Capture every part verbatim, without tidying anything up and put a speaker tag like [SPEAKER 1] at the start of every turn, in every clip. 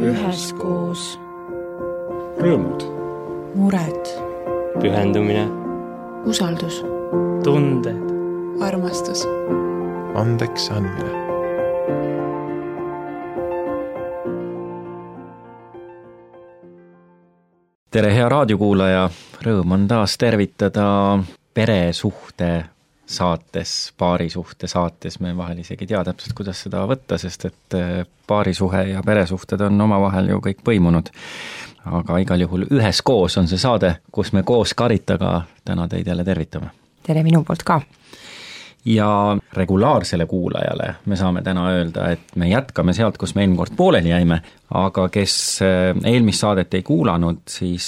[SPEAKER 1] üheskoos.
[SPEAKER 2] Rõõmud.
[SPEAKER 1] Mured.
[SPEAKER 3] Pühendumine.
[SPEAKER 1] Usaldus.
[SPEAKER 3] Tunded.
[SPEAKER 1] Armastus.
[SPEAKER 2] Andeks andmine.
[SPEAKER 4] Tere, hea raadiokuulaja! Rõõm on taas tervitada peresuhte saates, paarisuhte saates. Me vahel isegi tea täpselt, kuidas seda võtta, sest et paarisuhe ja peresuhted on omavahel ju kõik põimunud. Aga igal juhul üheskoos on see saade, kus me koos Karitaga täna teid jälle tervitame.
[SPEAKER 5] Tere minu poolt ka!
[SPEAKER 4] Ja regulaarsele kuulajale me saame täna öelda, et me jätkame sealt, kus me eelmine kord pooleli jäime, aga kes eelmist saadet ei kuulanud, siis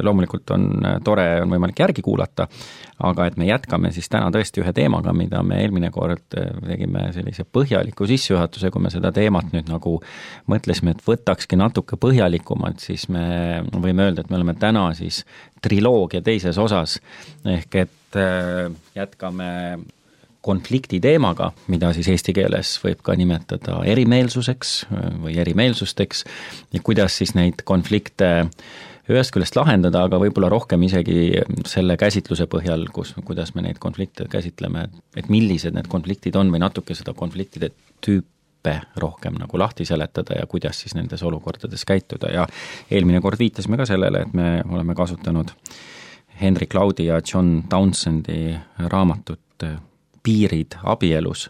[SPEAKER 4] loomulikult on tore, on võimalik järgi kuulata, aga et me jätkame siis täna tõesti ühe teemaga, mida me eelmine kord tegime sellise põhjaliku sissejuhatuse, kui me seda teemat nüüd nagu mõtlesime, et võtakski natuke põhjalikumalt, siis me võime öelda, et me oleme täna siis triloogia teises osas, ehk et jätkame konflikti teemaga, mida siis eesti keeles võib ka nimetada erimeelsuseks või erimeelsusteks ja kuidas siis neid konflikte ühest küljest lahendada, aga võib-olla rohkem isegi selle käsitluse põhjal, kus, kuidas me neid konflikte käsitleme, et millised need konfliktid on või natuke seda konfliktide tüüpe rohkem nagu lahti seletada ja kuidas siis nendes olukordades käituda ja eelmine kord viitasime ka sellele, et me oleme kasutanud Henry Cloudi ja John Townsendi raamatut Piirid abielus,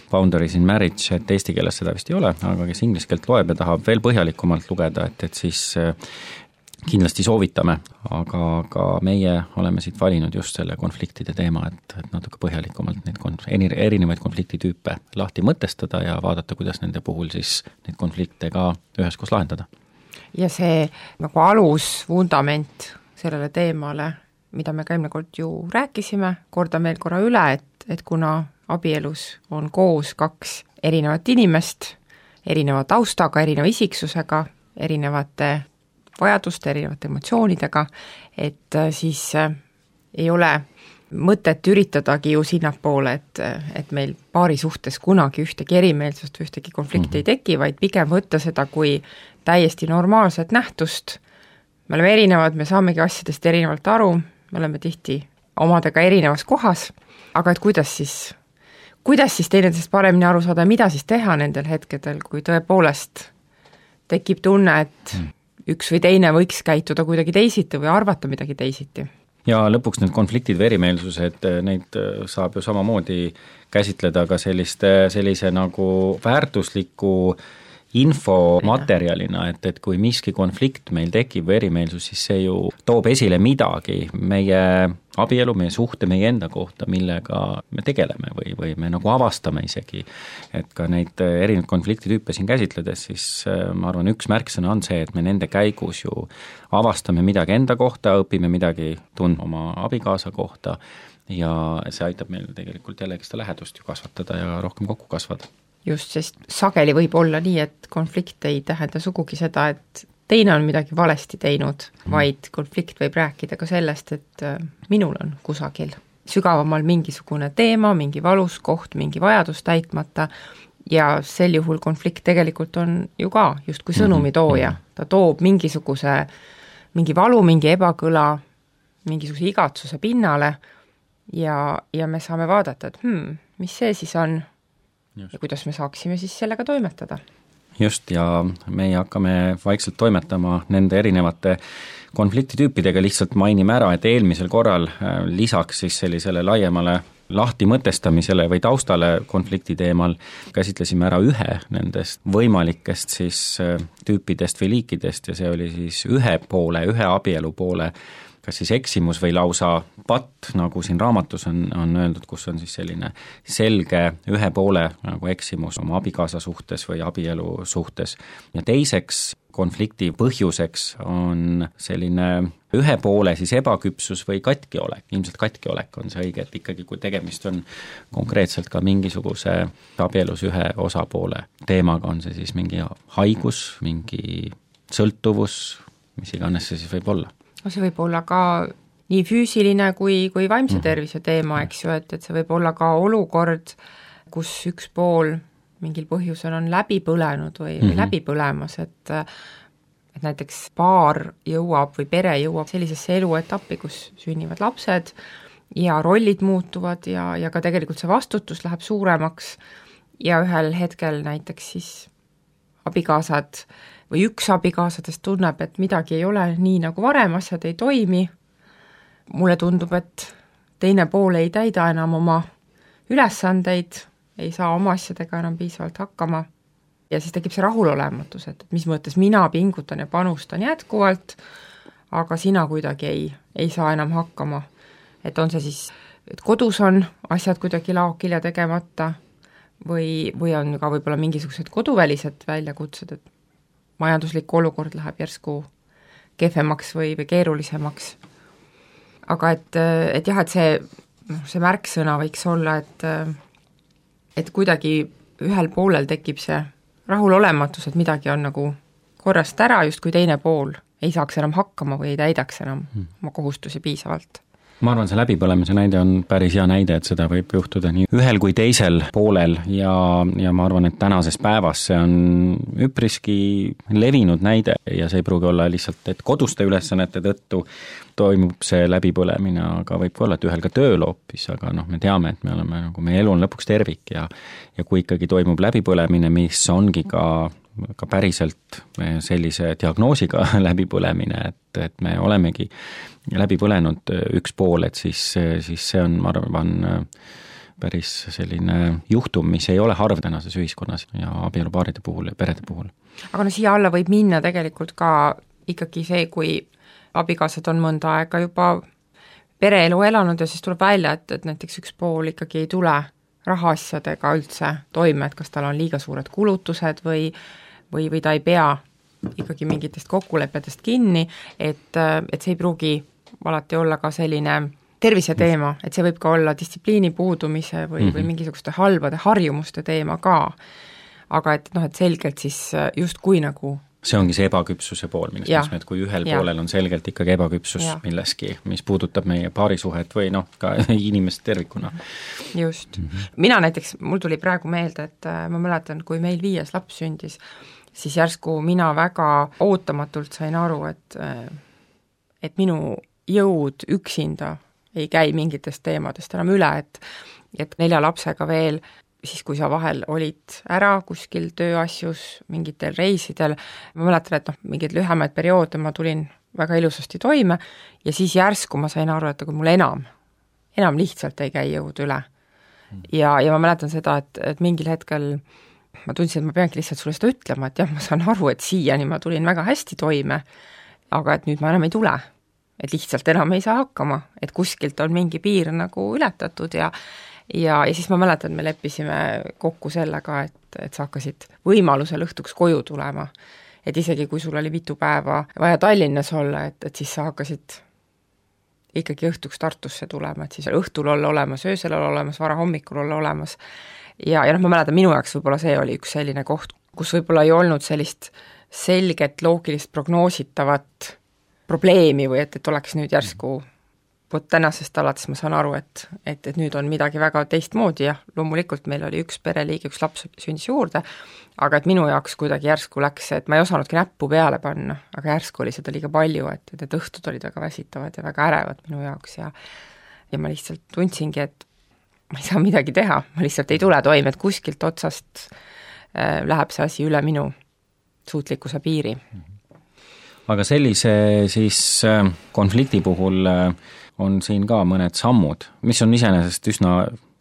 [SPEAKER 4] Boundaries in Marriage, et eesti keeles seda vist ei ole, aga kes inglise keelt loeb ja tahab veel põhjalikumalt lugeda, et, et siis kindlasti soovitame, aga, aga meie oleme siit valinud just selle konfliktide teema, et, et natuke põhjalikumalt neid konf- erinevaid konfliktitüüpe lahti mõtestada ja vaadata, kuidas nende puhul siis neid konflikte ka üheskoos lahendada.
[SPEAKER 5] Ja see nagu alus, vundament sellele teemale, mida me ka eelmine kord ju rääkisime, kordan veel korra üle, et et kuna abielus on koos kaks erinevat inimest, erineva taustaga, erineva isiksusega, erinevate vajaduste, erinevate emotsioonidega, et siis ei ole mõtet üritadagi ju sinnapoole, et, et meil paari suhtes kunagi ühtegi erimeelsust, ühtegi konflikti mm-hmm. ei teki, vaid pigem võtta seda kui täiesti normaalset nähtust. Me oleme erinevad, me saamegi asjadest erinevalt aru, me oleme tihti omadega erinevas kohas, aga et kuidas siis, kuidas siis teineteisest paremini aru saada, mida siis teha nendel hetkedel, kui tõepoolest tekib tunne, et üks või teine võiks käituda kuidagi teisiti või arvata midagi teisiti.
[SPEAKER 4] Ja lõpuks need konfliktid või erimeelsused, neid saab ju samamoodi käsitleda ka selliste, sellise nagu väärtusliku infomaterjalina, et, et kui miski konflikt meil tekib või erimeelsus, siis see ju toob esile midagi meie abielu, meie suhte, meie enda kohta, millega me tegeleme või, või me nagu avastame isegi. Et ka neid erinevaid konfliktitüüpe siin käsitledes, siis ma arvan, üks märksõna on see, et me nende käigus ju avastame midagi enda kohta, õpime midagi tundma oma abikaasa kohta ja see aitab meil tegelikult jällegi seda lähedust ju kasvatada ja rohkem kokku kasvada.
[SPEAKER 5] Just, sest sageli võib olla nii, et konflikt ei tähenda sugugi seda, et teine on midagi valesti teinud, vaid konflikt võib rääkida ka sellest, et minul on kusagil sügavamal mingisugune teema, mingi valus koht, mingi vajadus täitmata ja sel juhul konflikt tegelikult on ju ka justkui sõnumitooja. Ta toob mingisuguse, mingi valu, mingi ebakõla, mingisuguse igatsuse pinnale ja, ja me saame vaadata, et hmm, mis see siis on Just. Ja kuidas me saaksime siis sellega toimetada.
[SPEAKER 4] Just, ja meie hakkame vaikselt toimetama nende erinevate konfliktitüüpidega, lihtsalt mainime ära, et eelmisel korral lisaks siis sellisele laiemale lahti mõtestamisele või taustale konflikti teemal käsitlesime ära ühe nendest võimalikest siis tüüpidest või liikidest ja see oli siis ühe poole, ühe abielu poole kas siis eksimus või lausa patt, nagu siin raamatus on, on öeldud, kus on siis selline selge ühe poole nagu eksimus oma abikaasa suhtes või abielu suhtes. Ja teiseks konflikti põhjuseks on selline ühe poole siis ebaküpsus või katkiolek. Ilmselt katkiolek on see õige, et ikkagi kui tegemist on konkreetselt ka mingisuguse abielus ühe osapoole teemaga, on see siis mingi haigus, mingi sõltuvus, mis iganes see siis võib olla.
[SPEAKER 5] See võib olla ka nii füüsiline kui, kui vaimse tervise teema, eks ju, et, et see võib olla ka olukord, kus üks pool mingil põhjusel on läbi põlenud või,
[SPEAKER 4] mm-hmm.
[SPEAKER 5] või läbi põlemas, et et näiteks paar jõuab või pere jõuab sellisesse eluetappi, kus sünnivad lapsed ja rollid muutuvad ja, ja ka tegelikult see vastutus läheb suuremaks ja ühel hetkel näiteks siis abikaasad või üks abikaasadest tunneb, et midagi ei ole nii nagu varem, asjad ei toimi, mulle tundub, et teine pool ei täida enam oma ülesandeid, ei saa oma asjadega enam piisavalt hakkama ja siis tekib see rahulolematus, et mis mõttes mina pingutan ja panustan jätkuvalt, aga sina kuidagi ei, ei saa enam hakkama. Et on see siis, et kodus on asjad kuidagi laokil ja tegemata või, või on ka võib-olla mingisugused koduvälised väljakutsed, et majanduslik olukord läheb järsku kehvemaks või, või keerulisemaks. Aga et, et jah, et see, see märksõna võiks olla, et, et kuidagi ühel poolel tekib see rahulolematus, et midagi on nagu korrast ära, just kui teine pool ei saaks enam hakkama või ei täidaks enam oma kohustusi piisavalt.
[SPEAKER 4] Ma arvan, see läbipõlemise näide on päris hea näide, et seda võib juhtuda nii ühel kui teisel poolel ja, ja ma arvan, et tänases päevas see on üpriski levinud näide ja see ei pruugi olla lihtsalt, et koduste ülesannete tõttu toimub see läbipõlemine, aga võib ka olla, et ühel ka tööl hoopis, aga noh, me teame, et me oleme nagu, meie elu on lõpuks tervik ja, ja kui ikkagi toimub läbipõlemine, mis ongi ka ka päriselt sellise diagnoosiga läbipõlemine, et, et me olemegi läbi põlenud üks pool, et siis, siis see on, ma arvan, päris selline juhtum, mis ei ole harv tänases ühiskonnas ja abielupaaride puhul ja perede puhul.
[SPEAKER 5] Aga no siia alla võib minna tegelikult ka ikkagi see, kui abikaasad on mõnda aega juba pereelu elanud ja siis tuleb välja, et, et näiteks üks pool ikkagi ei tule rahaasjadega üldse toime, et kas tal on liiga suured kulutused või, või, või ta ei pea ikkagi mingitest kokkulepetest kinni, et, et see ei pruugi alati olla ka selline terviseteema, et see võib ka olla distsipliini puudumise või, mm-hmm. või mingisuguste halbade harjumuste teema ka. Aga et noh, et selgelt siis justkui nagu
[SPEAKER 4] see ongi see ebaküpsuse pool, millest
[SPEAKER 5] ja,
[SPEAKER 4] me, et kui ühel
[SPEAKER 5] ja.
[SPEAKER 4] poolel on selgelt ikkagi ebaküpsus ja. milleski, mis puudutab meie paarisuhet või noh, ka inimest tervikuna.
[SPEAKER 5] Just. Mm-hmm. Mina näiteks, mul tuli praegu meelde, et ma mäletan, kui meil viies laps sündis, siis järsku mina väga ootamatult sain aru, et, et minu jõud üksinda ei käi mingitest teemadest enam üle, et, et nelja lapsega veel siis kui sa vahel olid ära kuskil tööasjus, mingitel reisidel, ma mäletan, et noh, mingeid lühemaid perioode ma tulin väga ilusasti toime ja siis järsku ma sain aru, et aga mul enam, enam lihtsalt ei käi jõud üle. Ja, ja ma mäletan seda, et, et mingil hetkel ma tundsin, et ma peangi lihtsalt sulle seda ütlema, et jah, ma saan aru, et siiani ma tulin väga hästi toime, aga et nüüd ma enam ei tule. Et lihtsalt enam ei saa hakkama, et kuskilt on mingi piir nagu ületatud ja Ja, ja siis ma mäletan, me leppisime kokku sellega, et, et sa hakkasid võimalusel õhtuks koju tulema. Et isegi kui sul oli mitu päeva vaja Tallinnas olla, et, et siis sa hakkasid ikkagi õhtuks Tartusse tulema, et siis õhtul olla olemas, öösel olla olemas, vara hommikul olla olemas. Ja, ja noh, ma mäletan, minu jaoks võib-olla see oli üks selline koht, kus võib-olla ei olnud sellist selget, loogilist, prognoositavat probleemi või et, et oleks nüüd järsku vot tänasest alates ma saan aru, et, et, et nüüd on midagi väga teistmoodi ja loomulikult meil oli üks pereliige, üks laps sündis juurde, aga et minu jaoks kuidagi järsku läks, et ma ei osanudki näppu peale panna, aga järsku oli seda liiga palju, et need õhtud olid väga väsitavad ja väga ärevad minu jaoks ja ja ma lihtsalt tundsingi, et ma ei saa midagi teha, ma lihtsalt ei tule toime, et kuskilt otsast äh, läheb see asi üle minu suutlikkuse piiri.
[SPEAKER 4] Aga sellise siis äh, konflikti puhul äh, on siin ka mõned sammud, mis on iseenesest üsna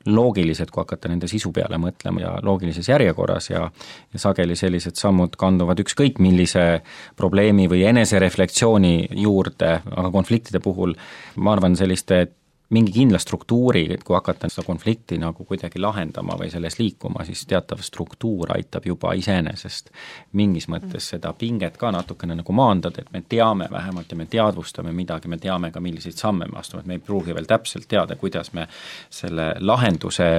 [SPEAKER 4] loogilised, kui hakata nende sisu peale mõtlema ja loogilises järjekorras ja, ja sageli sellised sammud kanduvad ükskõik millise probleemi või enesereflektsiooni juurde, aga konfliktide puhul ma arvan selliste mingi kindla struktuuri, et kui hakata seda konflikti nagu kuidagi lahendama või selles liikuma, siis teatav struktuur aitab juba iseenesest mingis mõttes seda pinget ka natukene nagu maandada, et me teame vähemalt ja me teadvustame midagi, me teame ka, milliseid samme me astume, et me ei pruugi veel täpselt teada, kuidas me selle lahenduse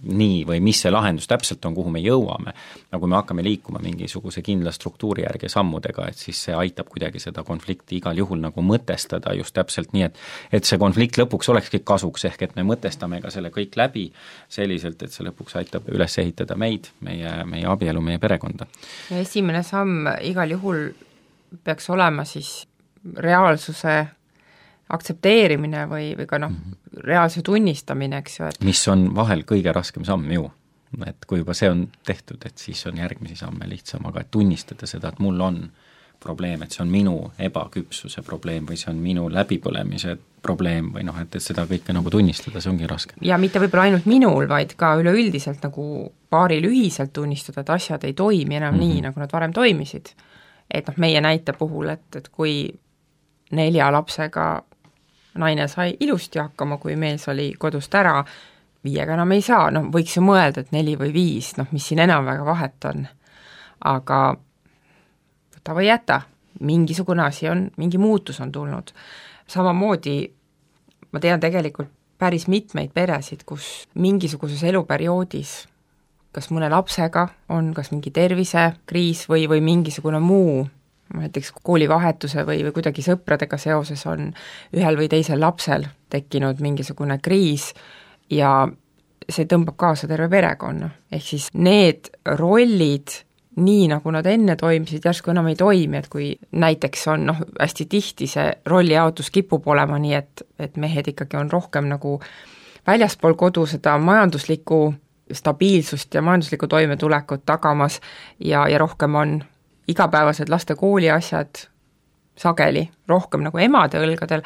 [SPEAKER 4] nii või mis see lahendus täpselt on, kuhu me jõuame, nagu me hakkame liikuma mingisuguse kindla struktuuri järgi sammudega, et siis see aitab kuidagi seda konflikti igal juhul nagu mõtestada just täpselt nii, et et see konflikt lõpuks olekski kasuks, ehk et me mõtestame ka selle kõik läbi selliselt, et see lõpuks aitab üles ehitada meid, meie, meie abielu, meie perekonda.
[SPEAKER 5] Ja esimene samm igal juhul peaks olema siis reaalsuse aktsepteerimine või, või ka noh, reaalse tunnistamine, eks ju, et
[SPEAKER 4] mis on vahel kõige raskem samm ju, et kui juba see on tehtud, et siis on järgmisi samme lihtsam, aga et tunnistada seda, et mul on probleem, et see on minu ebaküpsuse probleem või see on minu läbipõlemise probleem või noh, et, et seda kõike nagu tunnistada, see ongi raske.
[SPEAKER 5] Ja mitte võib-olla ainult minul, vaid ka üleüldiselt nagu paaril ühiselt tunnistada, et asjad ei toimi enam mm-hmm. nii, nagu nad varem toimisid. Et noh, meie näite puhul, et, et kui nelja lapsega naine sai ilusti hakkama, kui mees oli kodust ära, viiega enam ei saa, noh võiks ju mõelda, et neli või viis, noh mis siin enam väga vahet on. Aga võta või jäta, mingisugune asi on, mingi muutus on tulnud. Samamoodi ma tean tegelikult päris mitmeid peresid, kus mingisuguses eluperioodis kas mõne lapsega on kas mingi tervisekriis või, või mingisugune muu näiteks koolivahetuse või, või kuidagi sõpradega seoses on ühel või teisel lapsel tekkinud mingisugune kriis ja see tõmbab kaasa terve perekonna. Ehk siis need rollid, nii nagu nad enne toimisid, järsku enam ei toimi, et kui näiteks on noh, hästi tihti see rollijaotus kipub olema nii, et, et mehed ikkagi on rohkem nagu väljaspool kodu seda majanduslikku stabiilsust ja majanduslikku toimetulekut tagamas ja, ja rohkem on igapäevased laste kooli asjad sageli rohkem nagu emade õlgadel,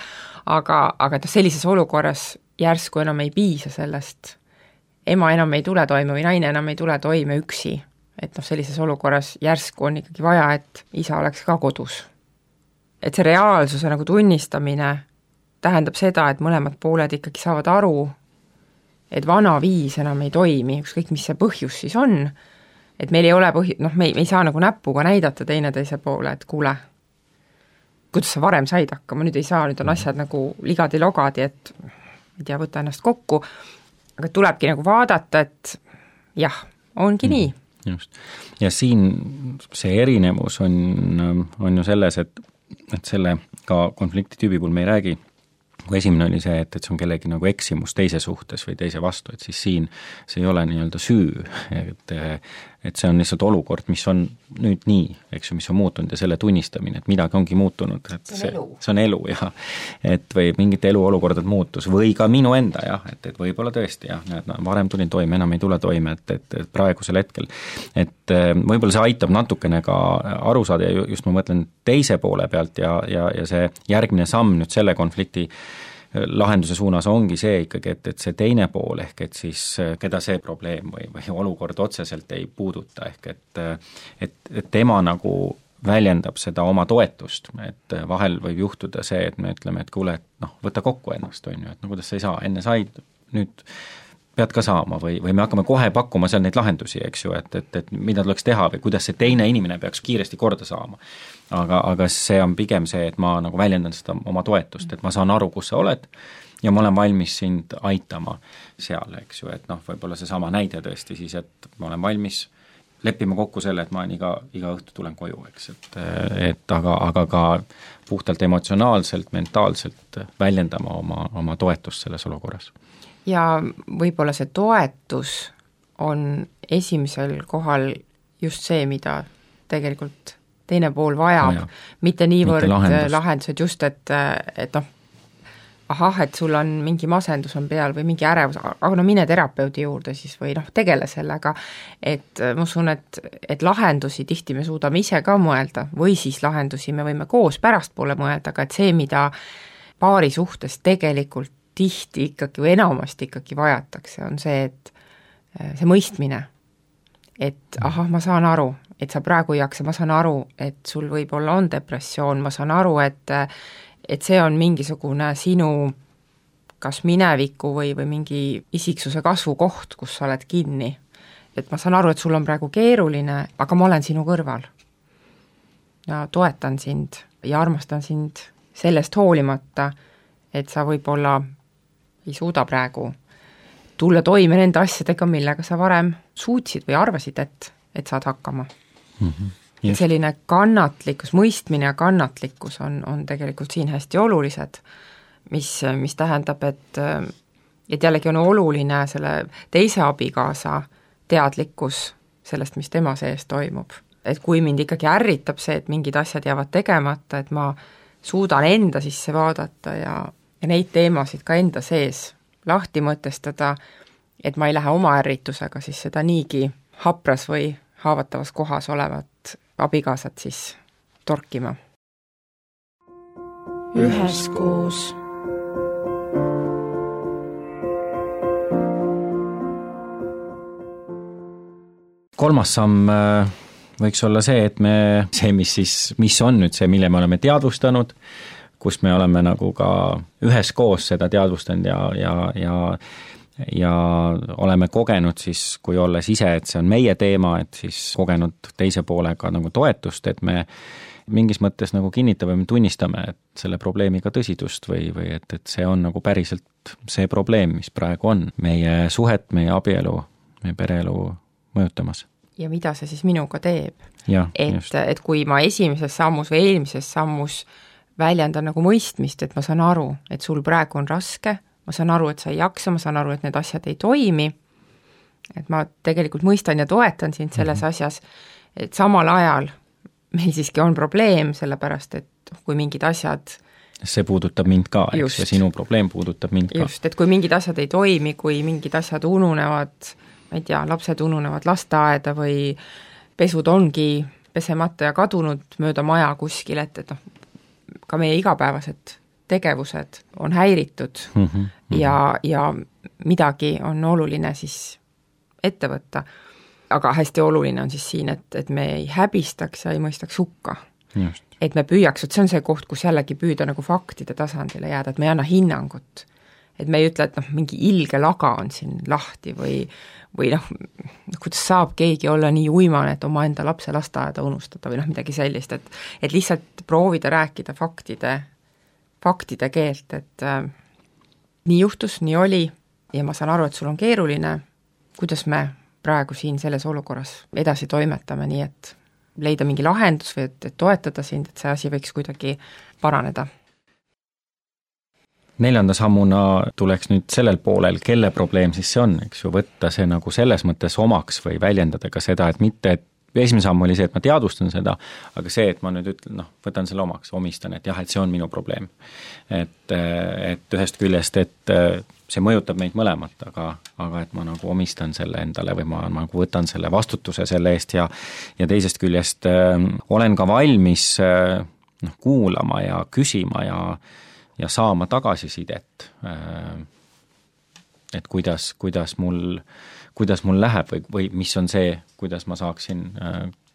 [SPEAKER 5] aga, aga noh, sellises olukorras järsku enam ei piisa sellest, ema enam ei tule toime või naine enam ei tule toime üksi, et noh, sellises olukorras järsku on ikkagi vaja, et isa oleks ka kodus. Et see reaalsuse nagu tunnistamine tähendab seda, et mõlemad pooled ikkagi saavad aru, et vana viis enam ei toimi, ükskõik mis see põhjus siis on, et meil ei ole põhi-, noh, me ei, me ei saa nagu näpuga näidata teineteise poole, et kuule, kuidas sa varem said hakkama, nüüd ei saa, nüüd on asjad nagu ligadi-logadi, et ei tea, võta ennast kokku, aga tulebki nagu vaadata, et jah, ongi mm, nii.
[SPEAKER 4] Just. Ja siin see erinevus on, on ju selles, et, et selle ka konfliktitüübi puhul me ei räägi, kui esimene oli see, et, et see on kellegi nagu eksimus teise suhtes või teise vastu, et siis siin see ei ole nii-öelda süü, et, et see on lihtsalt olukord, mis on nüüd nii, eks ju, mis on muutunud ja selle tunnistamine, et midagi ongi muutunud, et see, see on elu, jah, et või mingid eluolukordad muutus või ka minu enda, jah, et, et võib-olla tõesti, jah, näed, no, varem tulin toime, enam ei tule toime, et, et, et praegusel hetkel, et võib-olla see aitab natukene ka aru saada ja just ma mõtlen teise poole pealt ja, ja, ja see järgmine samm nüüd selle konflikti lahenduse suunas ongi see ikkagi, et, et see teine pool ehk et siis keda see probleem või, või olukord otseselt ei puuduta, ehk et, et, et tema nagu väljendab seda oma toetust, et vahel võib juhtuda see, et me ütleme, et kuule, et noh, võta kokku ennast, on ju, et no kuidas sa ei saa, enne said, nüüd pead ka saama või, või me hakkame kohe pakkuma seal neid lahendusi, eks ju, et, et, et mida tuleks teha või kuidas see teine inimene peaks kiiresti korda saama. Aga, aga see on pigem see, et ma nagu väljendan seda oma toetust, et ma saan aru, kus sa oled ja ma olen valmis sind aitama seal, eks ju, et noh, võib-olla see sama näide tõesti siis, et ma olen valmis leppima kokku selle, et ma iga, iga õhtu tulen koju, eks, et, et aga, aga ka puhtalt emotsionaalselt, mentaalselt väljendama oma, oma toetust selles olukorras.
[SPEAKER 5] Ja võib-olla see toetus on esimesel kohal just see, mida tegelikult teine pool vajab, Vaja. mitte niivõrd lahendus. lahendused just, et, et noh, ahah, et sul on mingi masendus on peal või mingi ärevus, aga no mine terapeudi juurde siis või noh, tegele sellega, et ma usun, et, et lahendusi tihti me suudame ise ka mõelda või siis lahendusi me võime koos pärastpoole mõelda, aga et see, mida paari suhtes tegelikult tihti ikkagi või enamasti ikkagi vajatakse, on see, et see mõistmine, et ahah, ma saan aru, et sa praegu ei jaksa, ma saan aru, et sul võib-olla on depressioon, ma saan aru, et, et see on mingisugune sinu kas mineviku või, või mingi isiksuse kasvu koht, kus sa oled kinni. Et ma saan aru, et sul on praegu keeruline, aga ma olen sinu kõrval. Ja toetan sind ja armastan sind sellest hoolimata, et sa võib-olla ei suuda praegu tulla toime nende asjadega, millega sa varem suutsid või arvasid, et, et saad hakkama mm. -hmm. Et selline kannatlikkus, mõistmine ja kannatlikkus on, on tegelikult siin hästi olulised, mis, mis tähendab, et, et jällegi on oluline selle teise abikaasa teadlikkus sellest, mis tema sees toimub. Et kui mind ikkagi ärritab see, et mingid asjad jäävad tegemata, et ma suudan enda sisse vaadata ja, ja neid teemasid ka enda sees lahti mõtestada, et ma ei lähe oma ärritusega siis seda niigi hapras või haavatavas kohas olevat abikaasat siis torkima.
[SPEAKER 1] Üheskoos.
[SPEAKER 4] Kolmas samm võiks olla see, et me, see, mis siis, mis on nüüd see, mille me oleme teadvustanud, kus me oleme nagu ka üheskoos seda teadvustanud ja, ja, ja ja oleme kogenud siis, kui olles ise, et see on meie teema, et siis kogenud teise poolega nagu toetust, et me mingis mõttes nagu kinnitame või tunnistame, et selle probleemiga tõsidust või, või et, et see on nagu päriselt see probleem, mis praegu on meie suhet, meie abielu, meie pereelu mõjutamas.
[SPEAKER 5] Ja mida see siis minuga teeb?
[SPEAKER 4] Ja,
[SPEAKER 5] et, et kui ma esimeses sammus või eelmises sammus väljendan nagu mõistmist, et ma saan aru, et sul praegu on raske, ma saan aru, et sa ei jaksa, ma saan aru, et need asjad ei toimi, et ma tegelikult mõistan ja toetan sind selles mm-hmm. asjas, et samal ajal meil siiski on probleem, sellepärast et kui mingid asjad
[SPEAKER 4] see puudutab mind ka, eks, ja sinu probleem puudutab mind ka.
[SPEAKER 5] Just, et kui mingid asjad ei toimi, kui mingid asjad ununevad, ma ei tea, lapsed ununevad lasteaeda või pesud ongi pesemata ja kadunud mööda maja kuskil, et, et noh, ka meie igapäevased tegevused on häiritud mm -hmm, mm -hmm. ja, ja midagi on oluline siis ette võtta. Aga hästi oluline on siis siin, et, et me ei häbistaks ja ei mõistaks hukka. Just. Et me püüaks, et see on see koht, kus jällegi püüda nagu faktide tasandile jääda, et me ei anna hinnangut. Et me ei ütle, et noh, mingi ilge laga on siin lahti või, või noh, kuidas saab keegi olla nii uimane, et oma enda lapse lasteaeda unustada või noh, midagi sellist, et, et lihtsalt proovida rääkida faktide faktide keelt, et äh, nii juhtus, nii oli ja ma saan aru, et sul on keeruline, kuidas me praegu siin selles olukorras edasi toimetame, nii et leida mingi lahendus või et, et toetada sind, et see asi võiks kuidagi paraneda.
[SPEAKER 4] Neljanda sammuna tuleks nüüd sellel poolel, kelle probleem siis see on, eks ju, võtta see nagu selles mõttes omaks või väljendada ka seda, et mitte, et esimene samm oli see, et ma teadvustan seda, aga see, et ma nüüd ütlen, noh, võtan selle omaks, omistan, et jah, et see on minu probleem. Et, et ühest küljest, et see mõjutab meid mõlemat, aga, aga et ma nagu omistan selle endale või ma nagu võtan selle vastutuse selle eest ja, ja teisest küljest äh, olen ka valmis äh, noh, kuulama ja küsima ja, ja saama tagasisidet, äh, et kuidas, kuidas mul kuidas mul läheb või, või mis on see, kuidas ma saaksin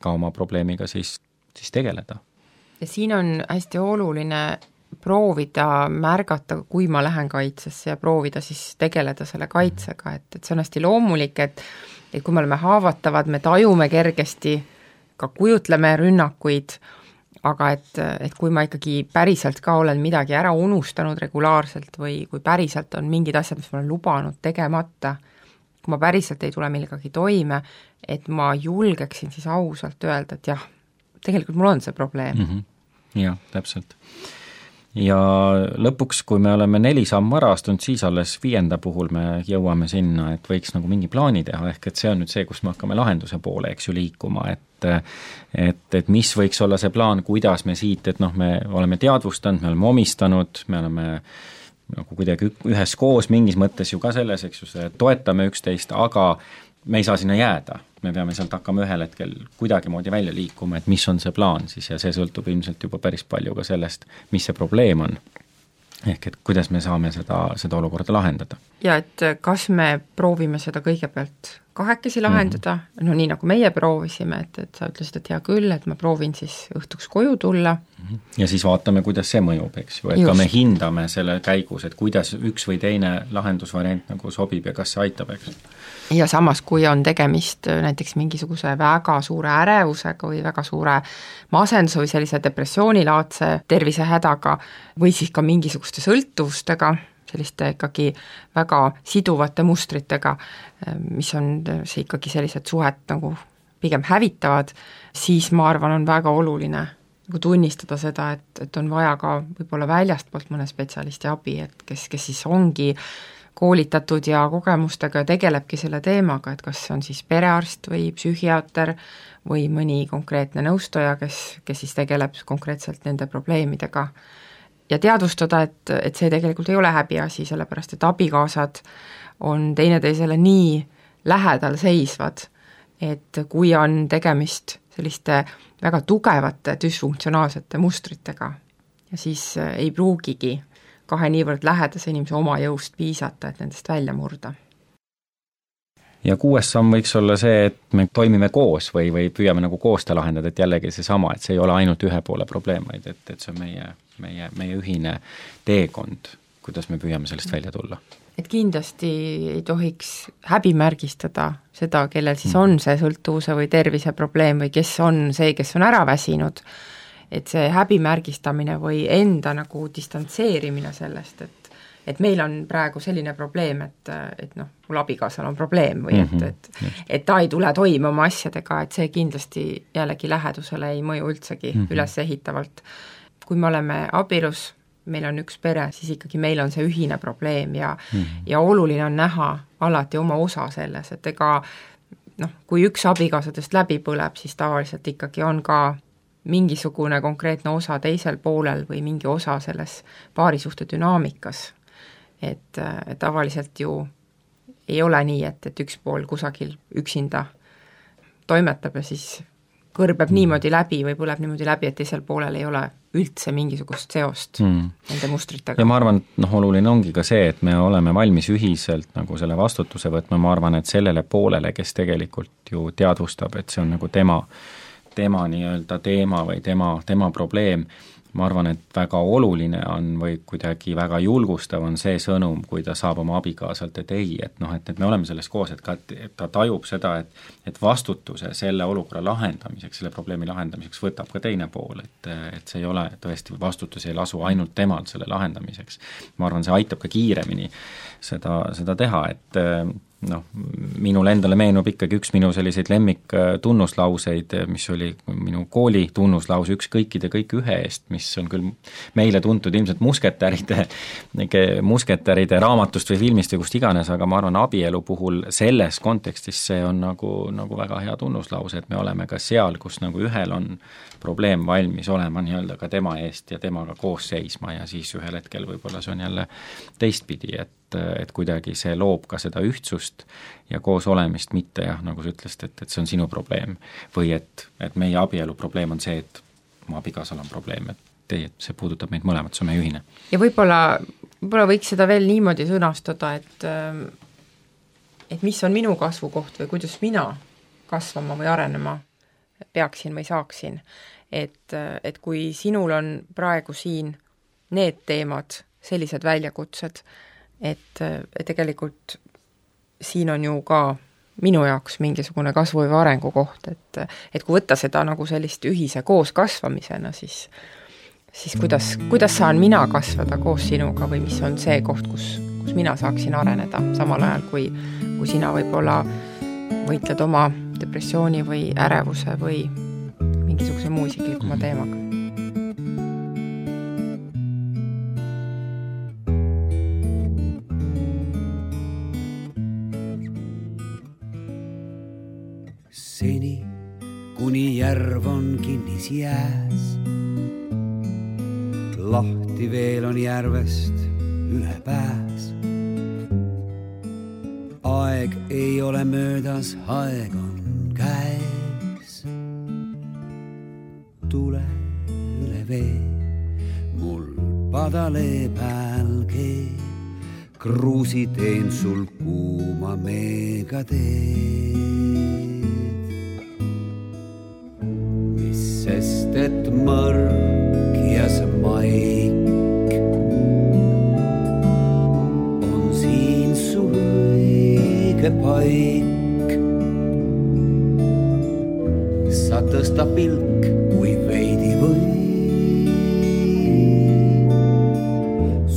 [SPEAKER 4] ka oma probleemiga siis, siis tegeleda.
[SPEAKER 5] Ja siin on hästi oluline proovida märgata, kui ma lähen kaitsesse ja proovida siis tegeleda selle kaitsega, et, et see on hästi loomulik, et, et kui me oleme haavatavad, me tajume kergesti, ka kujutleme rünnakuid, aga et, et kui ma ikkagi päriselt ka olen midagi ära unustanud regulaarselt või kui päriselt on mingid asjad, mis ma olen lubanud tegemata, kui ma päriselt ei tule millegagi toime, et ma julgeksin siis ausalt öelda, et jah, tegelikult mul on see probleem.
[SPEAKER 4] Mm-hmm. Jah, täpselt. Ja lõpuks, kui me oleme neli sammu ära astunud, siis alles viienda puhul me jõuame sinna, et võiks nagu mingi plaani teha, ehk et see on nüüd see, kus me hakkame lahenduse poole, eks ju, liikuma, et et, et mis võiks olla see plaan, kuidas me siit, et noh, me oleme teadvustanud, me oleme omistanud, me oleme nagu kuidagi ühes koos mingis mõttes ju ka selles, eks ju, toetame üksteist, aga me ei saa sinna jääda. Me peame sealt hakkama ühel hetkel kuidagi moodi välja liikuma, et mis on see plaan siis ja see sõltub ilmselt juba päris palju ka sellest, mis see probleem on. Ehk et kuidas me saame seda, seda olukorda lahendada.
[SPEAKER 5] Ja et kas me proovime seda kõigepealt kahekesi lahendada, mm-hmm. no nii nagu meie proovisime, et, et sa ütlesid, et hea küll, et ma proovin siis õhtuks koju tulla.
[SPEAKER 4] Ja siis vaatame, kuidas see mõjub, eks ju, et Just. ka me hindame selle käigus, et kuidas üks või teine lahendusvariant nagu sobib ja kas see aitab, eks.
[SPEAKER 5] Ja samas, kui on tegemist näiteks mingisuguse väga suure ärevusega või väga suure masenduse või sellise depressioonilaadse tervisehädaga või siis ka mingisuguste sõltuvustega, selliste ikkagi väga siduvate mustritega, mis on see ikkagi sellised suhet nagu pigem hävitavad, siis ma arvan, on väga oluline nagu tunnistada seda, et, et on vaja ka võib-olla väljastpoolt mõne spetsialisti abi, et kes, kes siis ongi koolitatud ja kogemustega ja tegelebki selle teemaga, et kas see on siis perearst või psühhiaater või mõni konkreetne nõustaja, kes, kes siis tegeleb konkreetselt nende probleemidega. Ja teadvustada, et, et see tegelikult ei ole häbiasi, sellepärast et abikaasad on teineteisele nii lähedal seisvad, et kui on tegemist selliste väga tugevate düsfunktsionaalsete mustritega ja siis ei pruugigi kahe niivõrd lähedase inimese oma jõust piisata, et nendest välja murda.
[SPEAKER 4] Ja kuues samm võiks olla see, et me toimime koos või, või püüame nagu koos ta lahendada, et jällegi see sama, et see ei ole ainult ühe poole probleem, vaid et, et see on meie, meie, meie ühine teekond, kuidas me püüame sellest välja tulla.
[SPEAKER 5] Et kindlasti ei tohiks häbimärgistada seda, kellel siis on see sõltuvuse või tervise probleem või kes on see, kes on ära väsinud, et see häbimärgistamine või enda nagu distantseerimine sellest, et et meil on praegu selline probleem, et, et noh, mul abikaasal on probleem või mm-hmm. et, et, et ta ei tule toime oma asjadega, et see kindlasti jällegi lähedusele ei mõju üldsegi mm-hmm. ülesehitavalt. Kui me oleme abielus, meil on üks pere, siis ikkagi meil on see ühine probleem ja, mm-hmm. ja oluline on näha alati oma osa selles, et ega noh, kui üks abikaasadest läbi põleb, siis tavaliselt ikkagi on ka mingisugune konkreetne osa teisel poolel või mingi osa selles paarisuhte dünaamikas. Et, et tavaliselt ju ei ole nii, et, et üks pool kusagil üksinda toimetab ja siis kõrbeb mm. niimoodi läbi või põleb niimoodi läbi, et teisel poolel ei ole üldse mingisugust seost mm. nende mustritega.
[SPEAKER 4] Ja ma arvan, et noh, oluline ongi ka see, et me oleme valmis ühiselt nagu selle vastutuse võtma, ma arvan, et sellele poolele, kes tegelikult ju teadvustab, et see on nagu tema tema nii-öelda teema või tema, tema probleem, ma arvan, et väga oluline on või kuidagi väga julgustav on see sõnum, kui ta saab oma abikaasalt, et ei, et noh, et, et me oleme selles koos, et, ka, et ta tajub seda, et, et vastutuse selle olukorra lahendamiseks, selle probleemi lahendamiseks võtab ka teine pool, et, et see ei ole tõesti, vastutus ei lasu ainult temal selle lahendamiseks. Ma arvan, see aitab ka kiiremini seda, seda teha, et noh, minul endale meenub ikkagi üks minu selliseid lemmik tunnuslauseid, mis oli minu kooli tunnuslause üks kõikide kõik ühe eest, mis on küll meile tuntud ilmselt musketäride, musketäride raamatust või filmist või kust iganes, aga ma arvan, abielu puhul selles kontekstis see on nagu, nagu väga hea tunnuslause, et me oleme ka seal, kus nagu ühel on probleem valmis olema nii-öelda ka tema eest ja temaga koos seisma ja siis ühel hetkel võib-olla see on jälle teistpidi, et et kuidagi see loob ka seda ühtsust ja koos olemist, mitte jah, nagu sa ütlesid, et, et see on sinu probleem või et, et meie abielu probleem on see, et mu abikaasal on probleem, et teie, see puudutab meid mõlemat, see on meie ühine.
[SPEAKER 5] Ja võib-olla, võib-olla võiks seda veel niimoodi sõnastada, et et mis on minu kasvukoht või kuidas mina kasvama või arenema peaksin või saaksin, et, et kui sinul on praegu siin need teemad, sellised väljakutsed, et, et tegelikult siin on ju ka minu jaoks mingisugune kasvu- või arengu koht, et, et kui võtta seda nagu sellist ühise koos kasvamisena, siis, siis kuidas, kuidas saan mina kasvada koos sinuga või mis on see koht, kus, kus mina saaksin areneda, samal ajal kui, kui sina võib-olla võitled oma depressiooni või ärevuse või mingisuguse muu isiklikuma teemaga.
[SPEAKER 6] Seni, kuni järv on kinnis jääs, lahti veel on järvest üle pääs. Aeg ei ole möödas, aeg on käes. Tule üle vee, mul padale pääl keeb, kruusi teen sul kuuma meega teed. Sest et mõrk ja see maik on siin sul õige paik. Sa tõsta pilk, kui veidi või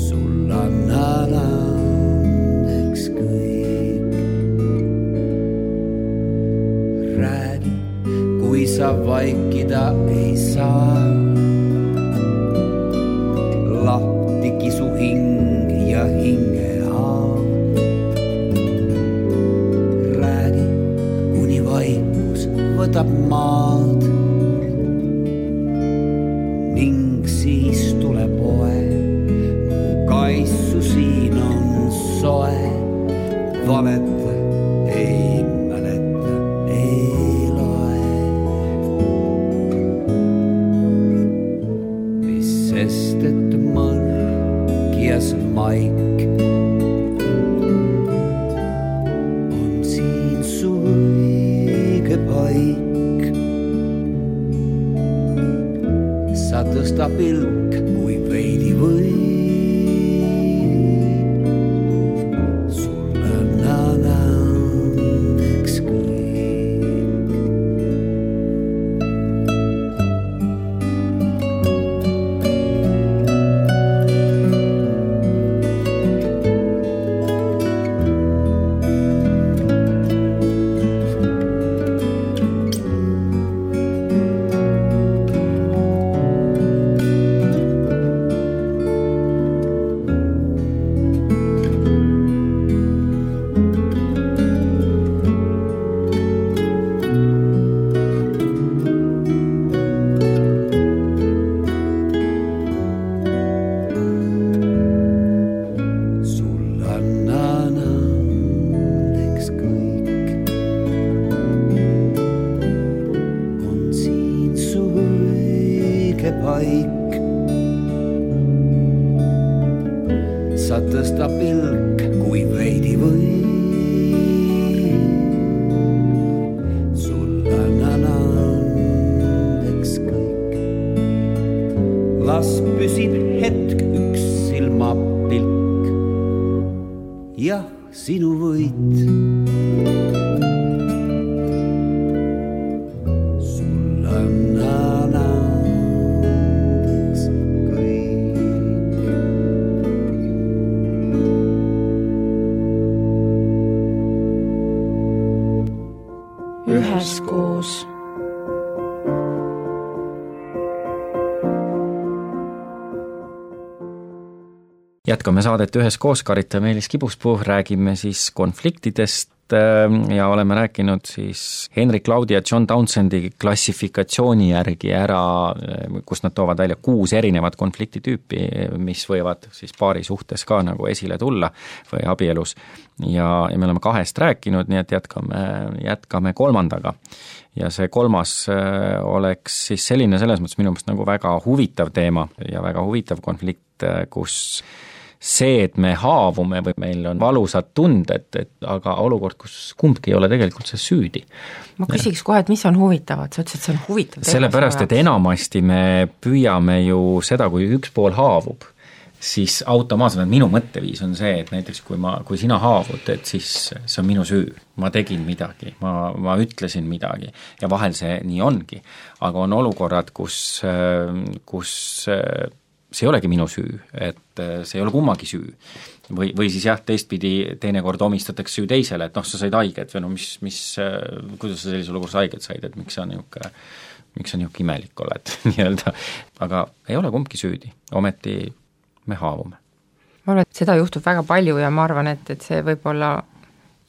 [SPEAKER 6] sul annada ning siis tuleb poe. Mu kaissu siin on soe, valeta ei mäleta, ei loe. Mis sest, et mõrk ja see maik on siin su õige paik. Sa tõsta pilk, kui veidi või. Paik. Sa tõsta pilk, kui veidi või. Sul annan andeks kõik. Las püsib hetk üks silmapilk. Jah, sinu võit.
[SPEAKER 1] Üheskoos.
[SPEAKER 4] Jätkame saadet Üheskoos, Karita Meelis Kibuspuu, räägime siis konfliktidest ja oleme rääkinud siis Henrik Laudi ja John Townsendi klassifikatsiooni järgi ära, kus nad toovad välja kuus erinevat konfliktitüüpi, mis võivad siis paari suhtes ka nagu esile tulla või abielus. Ja, ja me oleme kahest rääkinud, nii et jätkame, jätkame kolmandaga. Ja see kolmas oleks siis selline selles mõttes minu meelest nagu väga huvitav teema ja väga huvitav konflikt, kus see, et me haavume või meil on valusad tunded, et aga olukord, kus kumbki ei ole tegelikult see süüdi.
[SPEAKER 5] Ma küsiks kohe, et mis on huvitavad, sa ütlesid, et see on huvitav.
[SPEAKER 4] Sellepärast, et enamasti me püüame ju seda, kui üks pool haavub, siis automaatselt minu mõtteviis on see, et näiteks kui, ma, kui sina haavud, et siis see on minu süü, ma tegin midagi, ma, ma ütlesin midagi ja vahel see nii ongi, aga on olukorrad, kus, kus see ei olegi minu süü, et see ei ole kummagi süü. Või, või siis jah, teistpidi teinekord omistatakse süü teisele, et noh, sa said haiget või no mis, mis, kuidas sa sellise olukorras haiget said, et miks sa niuke, miks sa niuke imelik oled, nii-öelda. Aga ei ole kumbki süüdi, ometi me haavume.
[SPEAKER 5] Ma arvan, et seda juhtub väga palju ja ma arvan, et, et see võib olla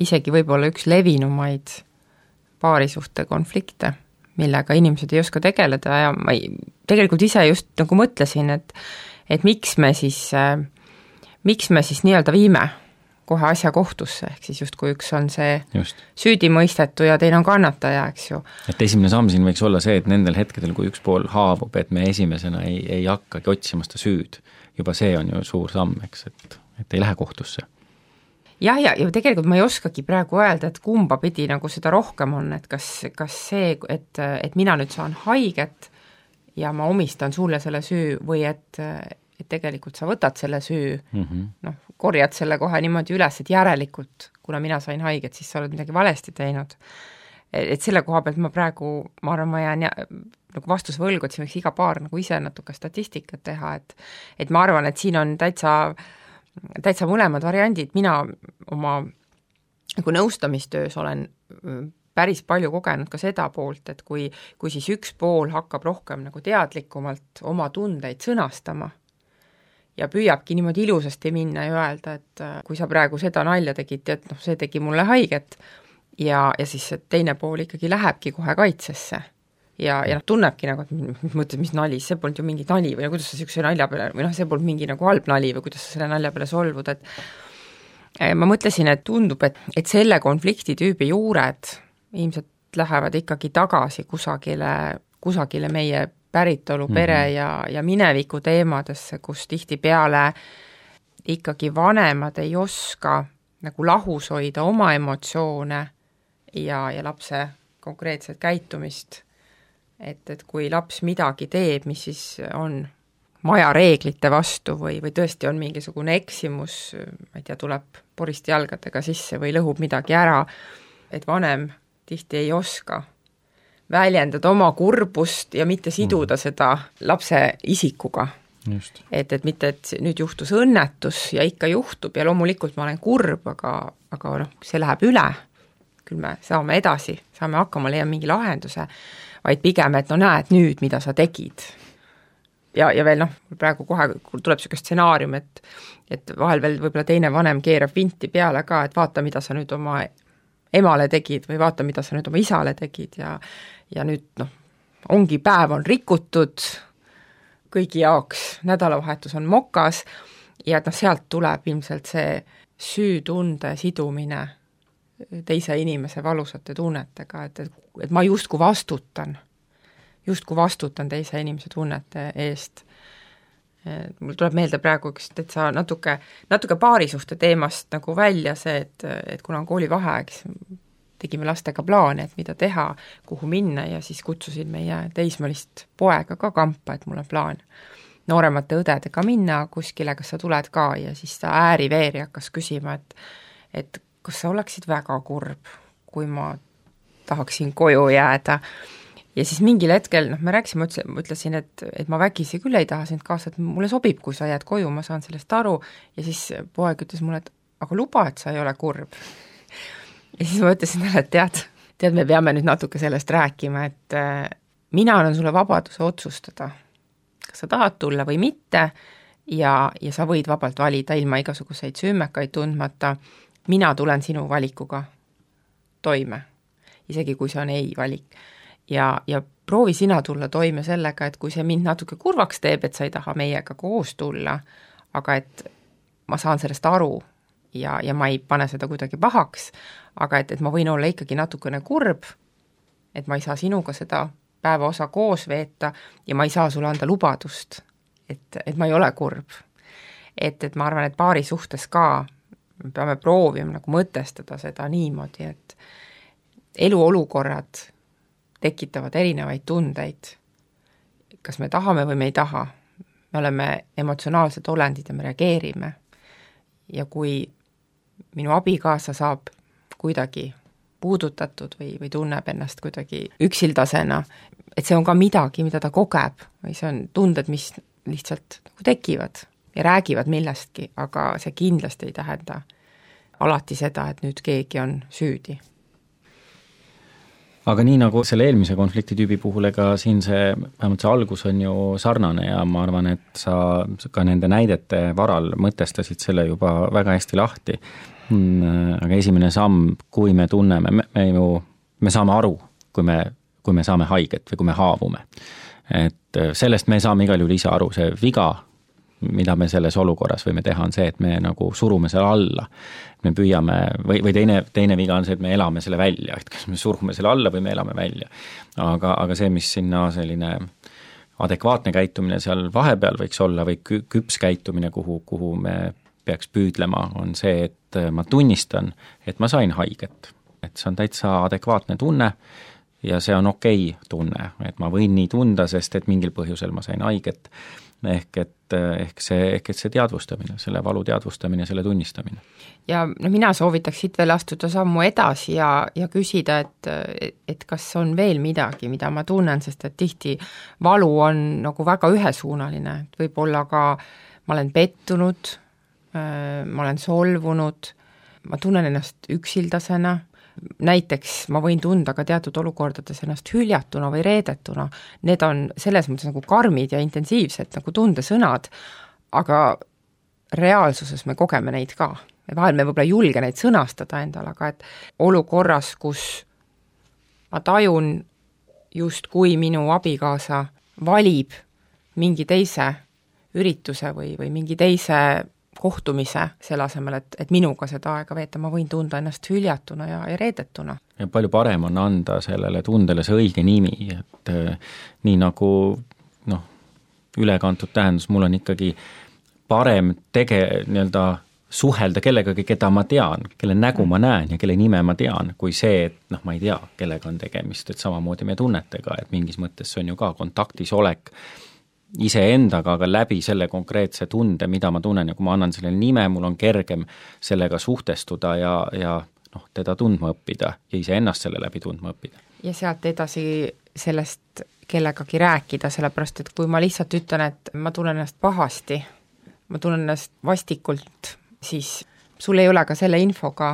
[SPEAKER 5] isegi võib-olla üks levinumaid paarisuhte konflikte, millega inimesed ei oska tegeleda ja ma ei, tegelikult ise just nagu mõtlesin, et, et miks me siis, miks me siis nii-öelda viime kohe asja kohtusse, ehk siis just kui üks on see just süüdimõistetu ja teine on kannataja, eks ju.
[SPEAKER 4] Et esimene samm siin võiks olla see, et nendel hetkedel, kui üks pool haavub, et me esimesena ei, ei hakkagi otsimasta süüd. Juba see on ju suur samm, eks, et, et ei lähe kohtusse.
[SPEAKER 5] Jah, ja, ja tegelikult ma ei oskagi praegu öelda, et kumba pidi nagu seda rohkem on, et kas, kas see, et, et mina nüüd saan haiget ja ma omistan sulle selle süü või et, et tegelikult sa võtad selle süü, mm -hmm. noh, korjad selle kohe niimoodi üles, et järelikult, kuna mina sain haiget, siis sa oled midagi valesti teinud. Et selle koha pealt ma praegu, ma arvan, ma jään nagu vastus võlgu, et siin võiks iga paar nagu ise natuke statistikat teha, et, et ma arvan, et siin on täitsa täitsa mõlemad variandid, mina oma nagu nõustamistöös olen päris palju kogenud ka seda poolt, et kui, kui siis üks pool hakkab rohkem nagu teadlikumalt oma tundeid sõnastama ja püüabki niimoodi ilusasti minna ja öelda, et kui sa praegu seda nalja tegid, et noh, see tegi mulle haiget ja, ja siis teine pool ikkagi lähebki kohe kaitsesse ja, ja noh, tunnebki nagu, et mõtled, mis nali, see polnud ju mingi nali või kuidas sa niisuguse nalja peale, või noh, see polnud mingi nagu halb nali või kuidas sa selle nalja peale solvud, et ma mõtlesin, et tundub, et, et selle konfliktitüübi juured ilmselt lähevad ikkagi tagasi kusagile, kusagile meie päritolu, pere mm-hmm. ja, ja mineviku teemadesse, kus tihtipeale ikkagi vanemad ei oska nagu lahus hoida oma emotsioone ja, ja lapse konkreetset käitumist. Et, et kui laps midagi teeb, mis siis on maja reeglite vastu või, või tõesti on mingisugune eksimus, ma ei tea, tuleb poristi jalgadega sisse või lõhub midagi ära, et vanem tihti ei oska väljendada oma kurbust ja mitte siduda seda lapse isikuga.
[SPEAKER 4] Just.
[SPEAKER 5] Et, et mitte, et nüüd juhtus õnnetus ja ikka juhtub ja loomulikult ma olen kurb, aga, aga noh, see läheb üle, küll me saame edasi, saame hakkama, leiame mingi lahenduse, vaid pigem, et no näed nüüd, mida sa tegid. Ja, ja veel noh, praegu kohe tuleb niisugune stsenaarium, et, et vahel veel võib-olla teine vanem keerab vinti peale ka, et vaata, mida sa nüüd oma emale tegid või vaata, mida sa nüüd oma isale tegid ja, ja nüüd noh, ongi päev on rikutud, kõigi jaoks nädalavahetus on mokas ja et noh, sealt tuleb ilmselt see süütunde sidumine teise inimese valusate tunnetega, et, et, et ma justkui vastutan, justkui vastutan teise inimese tunnete eest. Mul tuleb meelde praegu üks, et sa natuke, natuke paarisuhte teemast nagu välja see, et, et kuna on koolivaheaeg, tegime lastega plaane, et mida teha, kuhu minna ja siis kutsusin meie teismelist poega ka kampa, et mul on plaan nooremate õdedega minna kuskile, kas sa tuled ka ja siis ta ääriveeri hakkas küsima, et, et kas sa oleksid väga kurb, kui ma tahaksin koju jääda. Ja siis mingil hetkel, noh, me rääkisime, ütlesin, et, et ma vägisi küll ei taha sind kaasa, et mulle sobib, kui sa jääd koju, ma saan sellest aru ja siis poeg ütles mulle, et aga luba, et sa ei ole kurb. Ja siis ma ütlesin talle, et tead, tead, me peame nüüd natuke sellest rääkima, et äh, mina annan sulle vabaduse otsustada, kas sa tahad tulla või mitte ja, ja sa võid vabalt valida ilma igasuguseid süümekaid tundmata, mina tulen sinu valikuga toime, isegi kui see on ei valik. Ja, ja proovi sina tulla toime sellega, et kui see mind natuke kurvaks teeb, et sa ei taha meiega koos tulla, aga et ma saan sellest aru ja, ja ma ei pane seda kuidagi pahaks, aga et, et ma võin olla ikkagi natukene kurb, et ma ei saa sinuga seda päeva osa koos veeta ja ma ei saa sulle anda lubadust, et, et ma ei ole kurb. Et, et ma arvan, et paari suhtes ka me peame proovima nagu mõtestada seda niimoodi, et eluolukorrad tekitavad erinevaid tundeid. Kas me tahame või me ei taha. Me oleme emotsionaalsed olendid ja me reageerime. Ja kui minu abikaasa saab kuidagi puudutatud või, või tunneb ennast kuidagi üksildasena, et see on ka midagi, mida ta kogeb, või see on tunded, mis lihtsalt nagu tekivad ja räägivad millestki, aga see kindlasti ei tähenda alati seda, et nüüd keegi on süüdi.
[SPEAKER 4] Aga nii nagu selle eelmise konfliktitüübi puhul, ega siin see, vähemalt see algus on ju sarnane ja ma arvan, et sa ka nende näidete varal mõtestasid selle juba väga hästi lahti. Aga esimene samm, kui me tunneme, me, me ju, me saame aru, kui me, kui me saame haiget või kui me haavume. Et sellest me saame igal juhul ise aru, see viga, mida me selles olukorras võime teha, on see, et me nagu surume selle alla. Me püüame, või, või teine, teine viga on see, et me elame selle välja, et kas me surume selle alla või me elame välja. Aga, aga see, mis sinna selline adekvaatne käitumine seal vahepeal võiks olla või küps käitumine, kuhu, kuhu me peaks püüdlema, on see, et ma tunnistan, et ma sain haiget. Et see on täitsa adekvaatne tunne ja see on okei tunne, et ma võin nii tunda, sest et mingil põhjusel ma sain haiget. Ehk et, ehk, see, ehk et see teadvustamine, selle valu teadvustamine, selle tunnistamine.
[SPEAKER 5] Ja no mina soovitaks siit veel astuda sammu edasi ja, ja küsida, et, et kas on veel midagi, mida ma tunnen, sest et tihti valu on nagu väga ühesuunaline, et võib-olla ka ma olen pettunud, ma olen solvunud, ma tunnen ennast üksildasena, näiteks ma võin tunda ka teatud olukordades ennast hüljatuna või reedetuna, need on selles mõttes nagu karmid ja intensiivsed nagu tundesõnad, aga reaalsuses me kogeme neid ka. Vahel me võib-olla ei julge neid sõnastada endale, aga et olukorras, kus ma tajun just kui minu abikaasa valib mingi teise ürituse või, või mingi teise kohtumise selle asemel, et, et minuga seda aega veeta, ma võin tunda ennast hüljatuna ja, ja reedetuna.
[SPEAKER 4] Ja palju parem on anda sellele tundele see õige nimi, et äh, nii nagu noh, ülekantud tähendus, mul on ikkagi parem tege-, nii-öelda suhelda kellegagi, keda ma tean, kelle nägu ma näen ja kelle nime ma tean, kui see, et noh, ma ei tea, kellega on tegemist, et samamoodi me tunnetega, et mingis mõttes see on ju ka kontaktis olek iseendaga, aga läbi selle konkreetse tunde, mida ma tunnen ja kui ma annan sellele nime, mul on kergem sellega suhtestuda ja, ja noh, teda tundma õppida ja iseennast selle läbi tundma õppida.
[SPEAKER 5] Ja sealt edasi sellest kellegagi rääkida, sellepärast et kui ma lihtsalt ütlen, et ma tunnen ennast pahasti, ma tunnen ennast vastikult, siis sul ei ole ka selle infoga,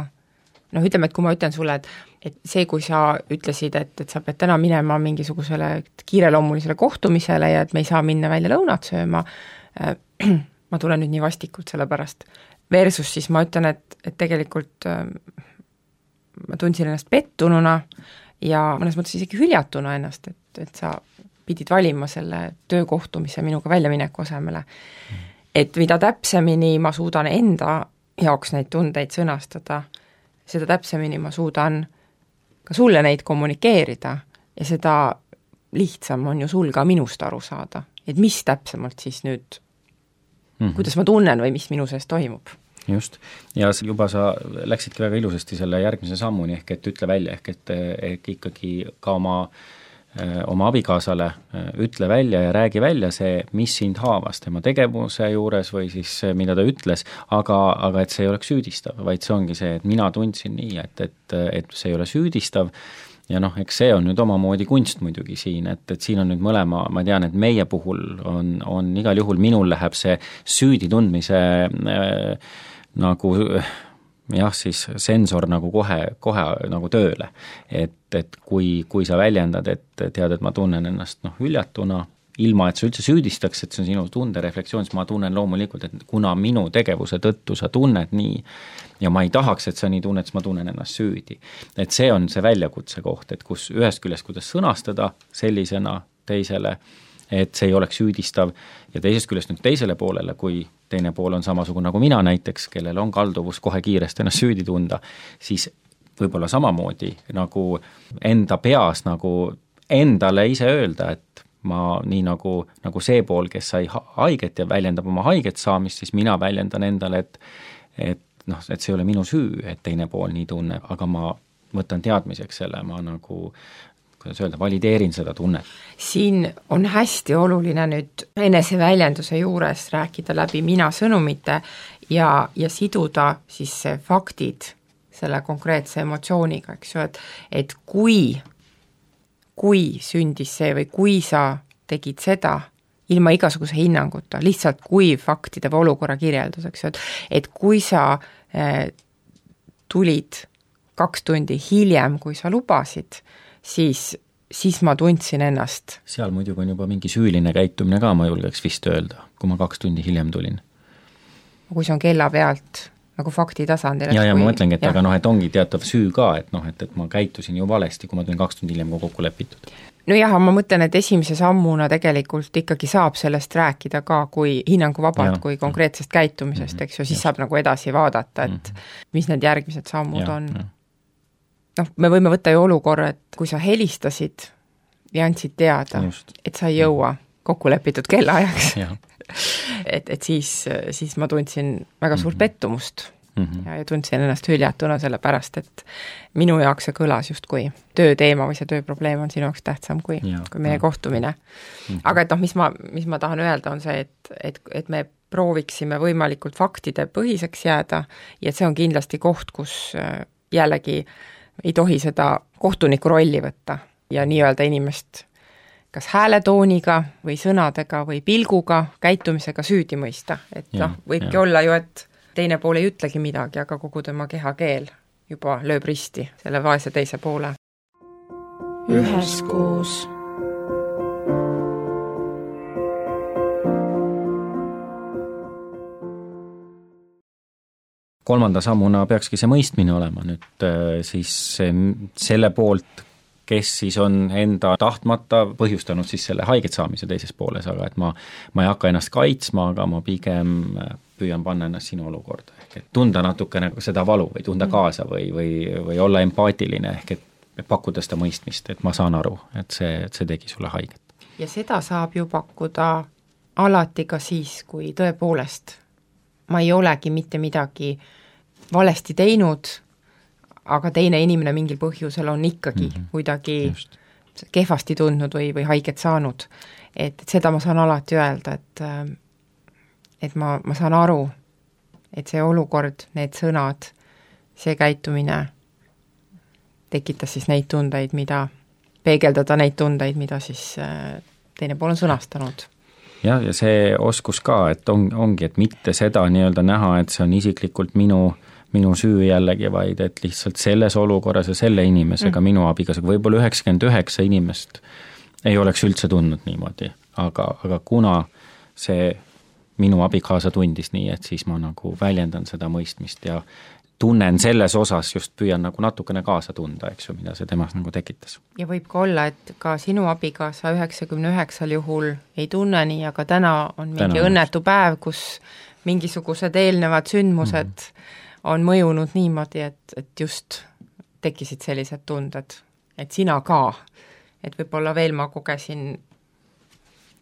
[SPEAKER 5] noh ütleme, et kui ma ütlen sulle, et, et see, kui sa ütlesid, et, et sa pead täna minema mingisugusele kiireloomulisele kohtumisele ja et me ei saa minna välja lõunat sööma, äh, ma tulen nüüd nii vastikult selle pärast. Versus siis ma ütlen, et, et tegelikult äh, ma tundsin ennast pettununa ja mõnes mõttes isegi hüljatuna ennast, et, et sa pidid valima selle töökohtumise minuga väljamineku asemele. Mm. Et mida täpsemini ma suudan enda jaoks neid tundeid sõnastada, seda täpsemini ma suudan ka sulle neid kommunikeerida ja seda lihtsam on ju sul ka minust aru saada, et mis täpsemalt siis nüüd, mm-hmm. kuidas ma tunnen või mis minu sees toimub.
[SPEAKER 4] Just, ja juba sa läksidki väga ilusasti selle järgmise sammuni, ehk et ütle välja, ehk et, ehk ikkagi ka oma oma abikaasale ütle välja ja räägi välja see, mis sind haavas tema tegevuse juures või siis mida ta ütles, aga, aga et see ei oleks süüdistav, vaid see ongi see, et mina tundsin nii, et, et, et see ei ole süüdistav ja noh, eks see on nüüd omamoodi kunst muidugi siin, et, et siin on nüüd mõlema, ma tean, et meie puhul on, on igal juhul, minul läheb see süüdi tundmise äh, nagu jah, siis sensor nagu kohe, kohe nagu tööle, et, et kui, kui sa väljendad, et tead, et ma tunnen ennast noh, hüljatuna, ilma et sa üldse süüdistaks, et see on sinu tundereflektsioon, siis ma tunnen loomulikult, et kuna minu tegevuse tõttu sa tunned nii ja ma ei tahaks, et sa nii tunned, siis ma tunnen ennast süüdi. Et see on see väljakutse koht, et kus ühest küljest, kuidas sõnastada sellisena teisele, et see ei oleks süüdistav ja teisest küljest nüüd teisele poolele, kui teine pool on samasugune nagu mina näiteks, kellel on kalduvus kohe kiiresti ennast süüdi tunda, siis võib-olla samamoodi nagu enda peas nagu endale ise öelda, et ma nii nagu, nagu see pool, kes sai haiget ja väljendab oma haiget saamist, siis mina väljendan endale, et, et noh, et see ei ole minu süü, et teine pool nii tunneb, aga ma võtan teadmiseks selle, ma nagu kuidas öelda, valideerin seda tunnet.
[SPEAKER 5] Siin on hästi oluline nüüd eneseväljenduse juures rääkida läbi mina sõnumite ja, ja siduda siis faktid selle konkreetse emotsiooniga, eks ju, et, et kui, kui sündis see või kui sa tegid seda ilma igasuguse hinnanguta, lihtsalt kui faktide või olukorra kirjeldus, eks ju, et, et kui sa eh, tulid kaks tundi hiljem, kui sa lubasid, siis, siis ma tundsin ennast.
[SPEAKER 4] Seal muidugi on juba mingi süüline käitumine ka, ma julgeks vist öelda, kui ma kaks tundi hiljem tulin.
[SPEAKER 5] Kui see on kella pealt nagu fakti tasandil.
[SPEAKER 4] Ja, ja ma mõtlengi, et ja. Aga noh, et ongi teatav süü ka, et noh, et, et ma käitusin ju valesti, kui ma tulin kaks tundi hiljem, kui kokku lepitud.
[SPEAKER 5] No jah, ma mõtlen, et esimese sammuna tegelikult ikkagi saab sellest rääkida ka kui hinnanguvabalt, kui konkreetsest käitumisest, mm-hmm. eks ju, siis ja. Saab nagu edasi vaadata, et mm-hmm. mis need järgmised sammud ja, on. Ja. noh, me võime võtta ju olukorra, et kui sa helistasid ja andsid teada, Just. et sa ei jõua kokku lepitud kellaajaks, et, et siis, siis ma tundsin väga suurt pettumust mm-hmm. ja, ja tundsin ennast hüljatuna selle pärast, et minu jaoks see kõlas justkui tööteema või see tööprobleem on sinu jaoks tähtsam kui, kui meie ja. Kohtumine. Mm-hmm. Aga et noh, mis ma, mis ma tahan öelda, on see, et, et, et me prooviksime võimalikult faktide põhiseks jääda ja see on kindlasti koht, kus jällegi ei tohi seda kohtuniku rolli võtta ja nii-öelda inimest kas hääletooniga või sõnadega või pilguga, käitumisega süüdi mõista. Et ja, noh, võibki ja. Olla ju, et teine pool ei ütlegi midagi, aga kogu tema kehakeel juba lööb risti selle vaese teise poole.
[SPEAKER 1] Üheskoos.
[SPEAKER 4] Kolmanda sammuna peakski see mõistmine olema nüüd siis selle poolt, kes siis on enda tahtmata põhjustanud siis selle haiget saamise teises pooles, aga et ma, ma ei hakka ennast kaitsma, aga ma pigem püüan panna ennast sinu olukorda, ehk et tunda natukene seda valu või tunda kaasa või, või, või olla empaatiline, ehk et pakkuda seda mõistmist, et ma saan aru, et see, et see tegi sulle haiget.
[SPEAKER 5] Ja seda saab ju pakkuda alati ka siis, kui tõepoolest ma ei olegi mitte midagi valesti teinud, aga teine inimene mingil põhjusel on ikkagi mm -hmm. kuidagi Just. kehvasti tundnud või, või haiget saanud. Et, et seda ma saan alati öelda, et, et ma, ma saan aru, et see olukord, need sõnad, see käitumine tekitas siis neid tundeid, mida, peegeldada neid tundeid, mida siis teine pool on sõnastanud.
[SPEAKER 4] jah, ja see oskus ka, et on, ongi, et mitte seda nii-öelda näha, et see on isiklikult minu minu süü jällegi, vaid et lihtsalt selles olukorras ja selle inimesega mm. minu abikaasa, võib-olla üheksakümmend üheksa inimest ei oleks üldse tundnud niimoodi, aga, aga kuna see minu abikaasa tundis nii, et siis ma nagu väljendan seda mõistmist ja tunnen selles osas, just püüan nagu natukene kaasa tunda, eks ju, mida see temas nagu tekitas.
[SPEAKER 5] Ja võib ka olla, et ka sinu abikaasa üheksakümne üheksal juhul ei tunne nii, aga täna on mingi täna õnnetu päev, kus mingisugused eelnevad sündmused mm. on mõjunud niimoodi, et, et just tekkisid sellised tunded, et sina ka, et võib-olla veel ma kogesin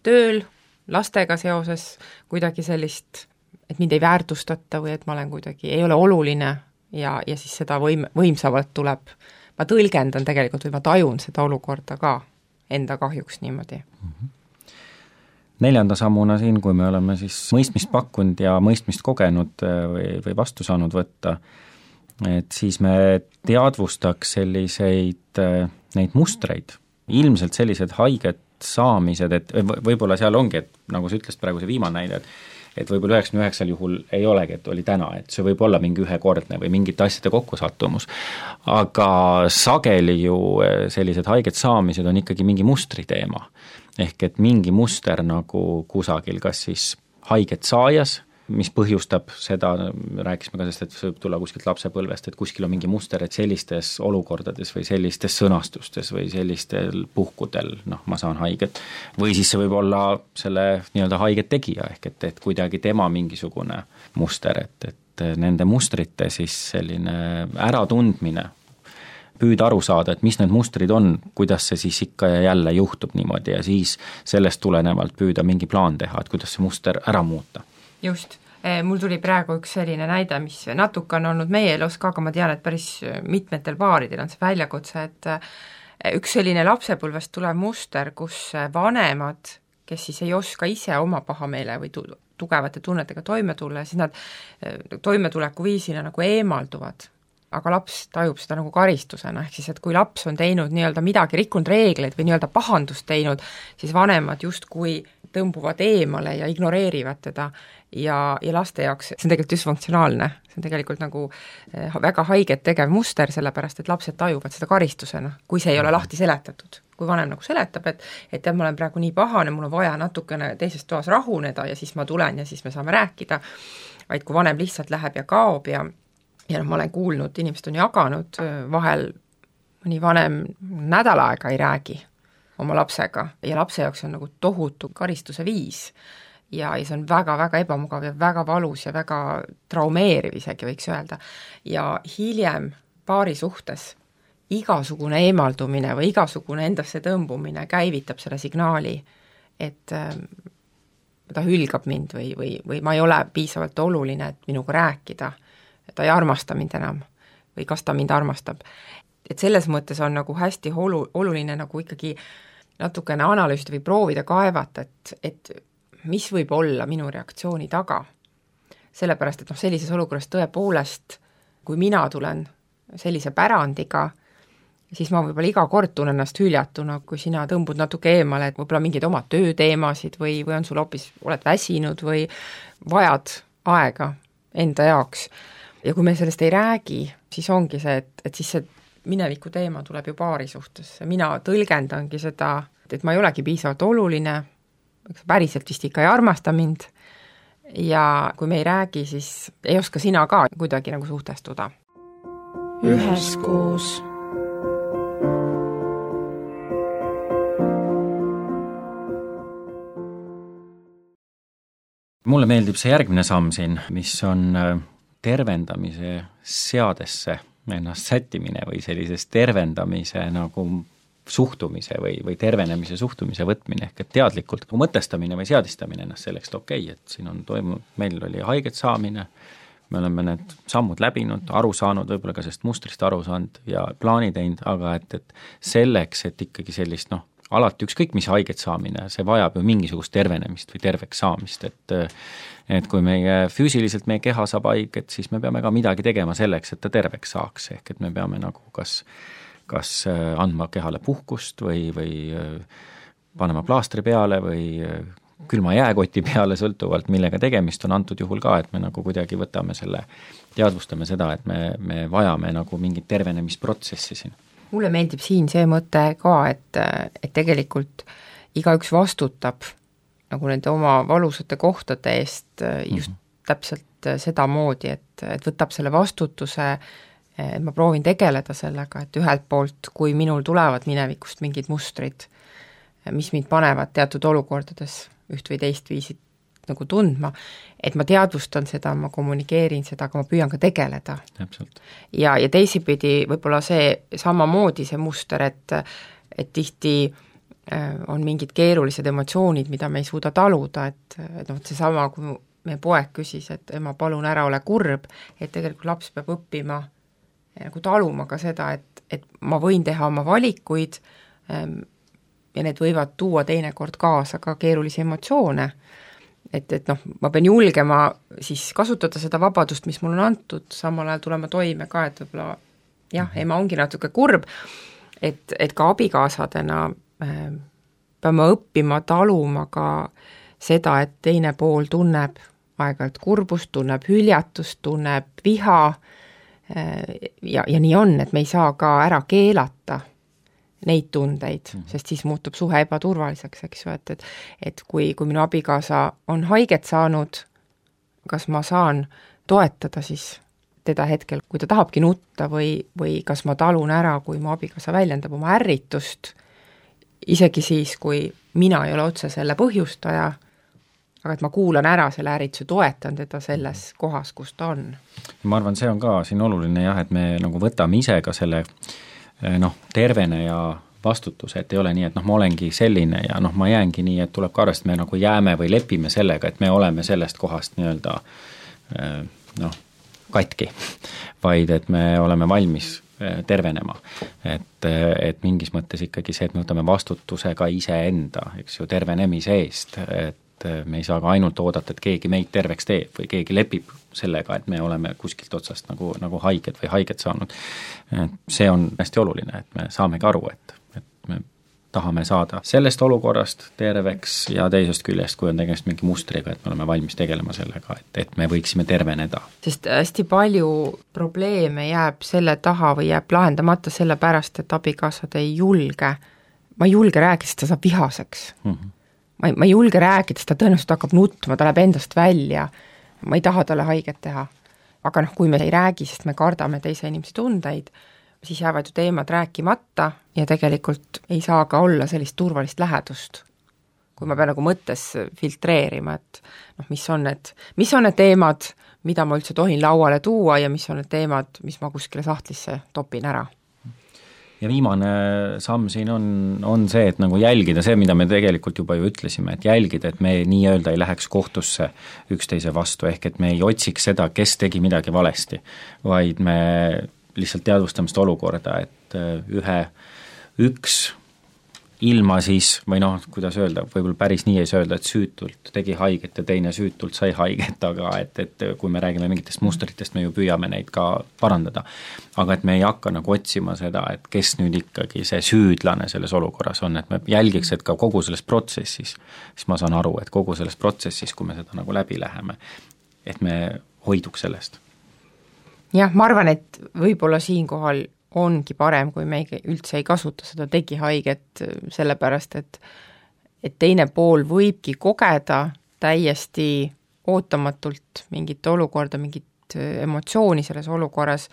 [SPEAKER 5] tööl, lastega seoses kuidagi sellist, et mind ei väärtustata või et ma olen kuidagi, ei ole oluline ja, ja siis seda võim, võimsamalt tuleb, ma tõlgendan tegelikult või ma tajun seda olukorda ka enda kahjuks niimoodi.
[SPEAKER 4] Mm-hmm. Neljanda sammuna siin, kui me oleme siis mõistmist pakkunud ja mõistmist kogenud või, või vastu saanud võtta, et siis me teadvustaks selliseid neid mustreid, ilmselt sellised haiget saamised, et võib-olla seal ongi, et nagu sa ütlesid praegu see viimane näide, et et võib-olla üheksakümne üheksal juhul ei olegi, et oli täna, et see võib olla mingi ühekordne või mingite asjade kokkusattumus, aga sageli ju sellised haiget saamised on ikkagi mingi mustri teema. Ehk et mingi muster nagu kusagil, kas siis haiget saajas, mis põhjustab seda, rääkisime ka sellest, et see võib tulla kuskilt lapsepõlvest, et kuskil on mingi muster, et sellistes olukordades või sellistes sõnastustes või sellistel puhkudel, noh, ma saan haiget, või siis see võib olla selle nii-öelda haiget tegija, ehk et, et kuidagi tema mingisugune muster, et, et nende mustrite siis selline äratundmine, püüda aru saada, et mis need mustrid on, kuidas see siis ikka ja jälle juhtub niimoodi ja siis sellest tulenevalt püüda mingi plaan teha, et kuidas see muster ära muuta.
[SPEAKER 5] Just, mul tuli praegu üks selline näide, mis natuke on olnud meie elus ka, aga ma tean, et päris mitmetel paaridel on see väljakutse, et üks selline lapsepõlvest tulev muster, kus vanemad, kes siis ei oska ise oma pahameele või tu- tugevate tunnetega toime tulla, siis nad toimetuleku viisina nagu eemalduvad. Aga laps tajub seda nagu karistusena, ehk siis, et kui laps on teinud nii-öelda midagi, rikkunud reegleid või nii-öelda pahandust teinud, siis vanemad justkui tõmbuvad eemale ja ignoreerivad teda ja, ja laste jaoks see on tegelikult dysfunktsionaalne, see on tegelikult nagu väga haiget tegev muster, sellepärast et lapsed tajuvad seda karistusena, kui see ei ole lahti seletatud. Kui vanem nagu seletab, et, et ma olen praegu nii pahane, mul on vaja natukene teises toas rahuneda ja siis ma tulen ja siis me saame rääkida, vaid kui vanem lihtsalt läheb ja kaob ja ja noh, ma olen kuulnud, inimesed on jaganud, vahel mõni vanem nädal aega ei räägi oma lapsega ja lapse jaoks on nagu tohutu karistuse viis ja, ja see on väga-väga ebamugav ja väga valus ja väga traumeeriv isegi võiks öelda. Ja hiljem paari suhtes igasugune eemaldumine või igasugune endasse tõmbumine käivitab selle signaali, et äh, ta hülgab mind või, või, või ma ei ole piisavalt oluline, et minuga rääkida, ta ei armasta mind enam või kas ta mind armastab. Et selles mõttes on nagu hästi olu, oluline nagu ikkagi natukene analüüsida või proovida kaevata, et, et mis võib olla minu reaktsiooni taga. Sellepärast, et noh, sellises olukorras tõepoolest, kui mina tulen sellise pärandiga, siis ma võib-olla iga kord tunnen ennast hüljatuna, kui sina tõmbud natuke eemale, et võib-olla mingeid oma tööteemasid või, või on sul hoopis, oled väsinud või vajad aega enda jaoks. Ja kui me sellest ei räägi, siis ongi see, et, et siis see mineviku teema tuleb ju paari suhtes. Mina tõlgendangi seda, et ma ei olegi piisavalt oluline, päriselt vist ikka ei armasta mind ja kui me ei räägi, siis ei oska sina ka kuidagi nagu suhtestuda.
[SPEAKER 1] Üheskoos.
[SPEAKER 4] mulle meeldib see järgmine samm siin, mis on tervendamise seadesse ennast sättimine või sellises tervendamise nagu suhtumise või, või tervenemise suhtumise võtmine, ehk et teadlikult mõtestamine või seadistamine ennast selleks, et okei okay,, et siin on toimunud, meil oli haiget saamine, me oleme need sammud läbinud, aru saanud, võib-olla ka sellest mustrist aru saanud ja plaani teinud, aga et, et selleks, et ikkagi sellist noh, alati ükskõik mis haiget saamine, see vajab ju mingisugust tervenemist või terveks saamist, et et kui meie füüsiliselt meie keha saab haiget, siis me peame ka midagi tegema selleks, et ta terveks saaks, ehk et me peame nagu kas, kas andma kehale puhkust või, või panema plaastri peale või külma jääkoti peale, sõltuvalt millega tegemist on antud juhul ka, et me nagu kuidagi võtame selle, teadvustame seda, et me, me vajame nagu mingit tervenemisprotsessi siin.
[SPEAKER 5] Mulle meeldib siin see mõte ka, et, et tegelikult igaüks vastutab nagu nende oma valusate kohtade eest just mm-hmm. täpselt seda moodi, et, et võtab selle vastutuse, et ma proovin tegeleda sellega, et ühelt poolt, kui minul tulevad minevikust mingid mustrid, mis mind panevad teatud olukordades üht või teist viisit nagu tundma, et ma teadvustan seda, ma kommunikeerin seda, aga ma püüan ka tegeleda.
[SPEAKER 4] Täpselt. Ja,
[SPEAKER 5] ja teisipidi võib-olla see samamoodi see muster, et, et tihti on mingid keerulised emotsioonid, mida me ei suuda taluda, et, et noh, see sama, kui meie poeg küsis, et ema, palun ära ole kurb, et tegelikult laps peab õppima nagu taluma ka seda, et, et ma võin teha oma valikuid ja need võivad tuua teinekord kaasa ka keerulisi emotsioone. Et, et noh, ma pean julgema siis kasutada seda vabadust, mis mul on antud, samal ajal tulema toime ka, et võib-olla jah, ema ongi natuke kurb, et, et ka abikaasadena äh, peame õppima taluma ka seda, et teine pool tunneb aeg-ajalt kurbust, tunneb hüljatust, tunneb viha äh, ja, ja nii on, et me ei saa ka ära keelata neid tundeid, sest siis muutub suhe ebaturvaliseks, eks ju, et, et, et kui, kui minu abikaasa on haiget saanud, kas ma saan toetada siis teda hetkel, kui ta tahabki nutta või, või kas ma talun ära, kui mu abikaasa väljendab oma ärritust, isegi siis, kui mina ei ole otse selle põhjustaja, aga et ma kuulan ära selle ärrituse, toetan teda selles kohas, kus ta on.
[SPEAKER 4] Ma arvan, see on ka siin oluline jah, et me nagu võtame ise ka selle noh, tervene ja vastutuse, et ei ole nii, et noh, ma olengi selline ja noh, ma jäängi nii, et tuleb ka arvest, me nagu jääme või lepime sellega, et me oleme sellest kohast nii-öelda noh, katki, vaid et me oleme valmis tervenema. Et, et mingis mõttes ikkagi see, et me võtame vastutuse ka iseenda, eks ju, tervenemise eest, et me ei saa ka ainult oodata, et keegi meid terveks teeb või keegi lepib sellega, et me oleme kuskilt otsast nagu, nagu haiged või haiget saanud. See on hästi oluline, et me saamegi aru, et, et me tahame saada sellest olukorrast terveks ja teisest küljest, kui on tegemist mingi mustriga, et me oleme valmis tegelema sellega, et, et me võiksime terveneda.
[SPEAKER 5] Sest hästi palju probleeme jääb selle taha või jääb lahendamata selle pärast, et abikaasad ei julge, ma ei julge rääkida, sest ta saab vihaseks. Mm-hmm. Ma ei, ma ei julge rääkida, sest ta tõenäoliselt hakkab nutma, ta läheb endast välja, ma ei taha talle haiget teha. Aga noh, kui me ei räägi, sest me kardame teise inimese tundeid, siis jäävad ju teemad rääkimata ja tegelikult ei saa ka olla sellist turvalist lähedust. Kui ma pean nagu mõttes filtreerima, et noh, mis on need, mis on need teemad, mida ma üldse tohin lauale tuua ja mis on need teemad, mis ma kuskile sahtlisse topin ära.
[SPEAKER 4] Ja viimane samm siin on, on see, et nagu jälgida see, mida me tegelikult juba ju ütlesime, et jälgida, et me nii-öelda ei läheks kohtusse üksteise vastu, ehk et me ei otsiks seda, kes tegi midagi valesti, vaid me lihtsalt teadvustame seda olukorda, et ühe, üks ilma siis, või noh, kuidas öelda, võib-olla päris nii ei saa öelda, et süütult tegi haiget ja teine süütult sai haiget, aga et, et kui me räägime mingitest mustritest, me ju püüame neid ka parandada. Aga et me ei hakka nagu otsima seda, et kes nüüd ikkagi see süüdlane selles olukorras on, et me jälgiks, et ka kogu selles protsessis, siis ma saan aru, et kogu selles protsessis, kui me seda nagu läbi läheme, et me hoiduks sellest.
[SPEAKER 5] Jah, ma arvan, et võib-olla siinkohal ongi parem, kui me üldse ei kasuta seda tegi haiget, sellepärast, et, et teine pool võibki kogeda täiesti ootamatult mingit olukorda, mingit emotsiooni selles olukorras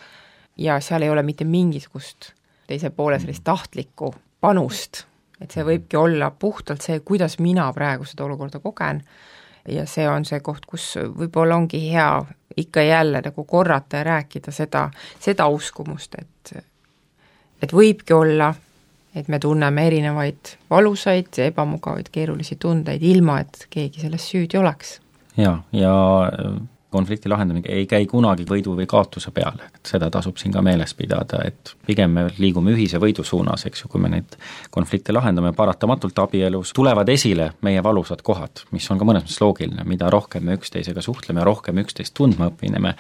[SPEAKER 5] ja seal ei ole mitte mingisugust teise poole sellist tahtlikku panust, et see võibki olla puhtalt see, kuidas mina praegu seda olukorda kogen ja see on see koht, kus võib-olla ongi hea ikka jälle nagu korrata ja rääkida seda, seda uskumust, et et võibki olla, et me tunneme erinevaid valusaid, ebamugavaid, keerulisi tundeid, ilma et keegi selles süüdi oleks.
[SPEAKER 4] Ja, ja konflikti lahendamine ei käi kunagi võidu või kaotuse peale, et seda tasub siin ka meeles pidada, et pigem me liigume ühise võidu suunas, eks ju, kui me neid konflikte lahendame, paratamatult abielus tulevad esile meie valusad kohad, mis on ka mõnes mõttes loogiline, mida rohkem me üksteisega suhtleme, rohkem üksteist tundma õpineme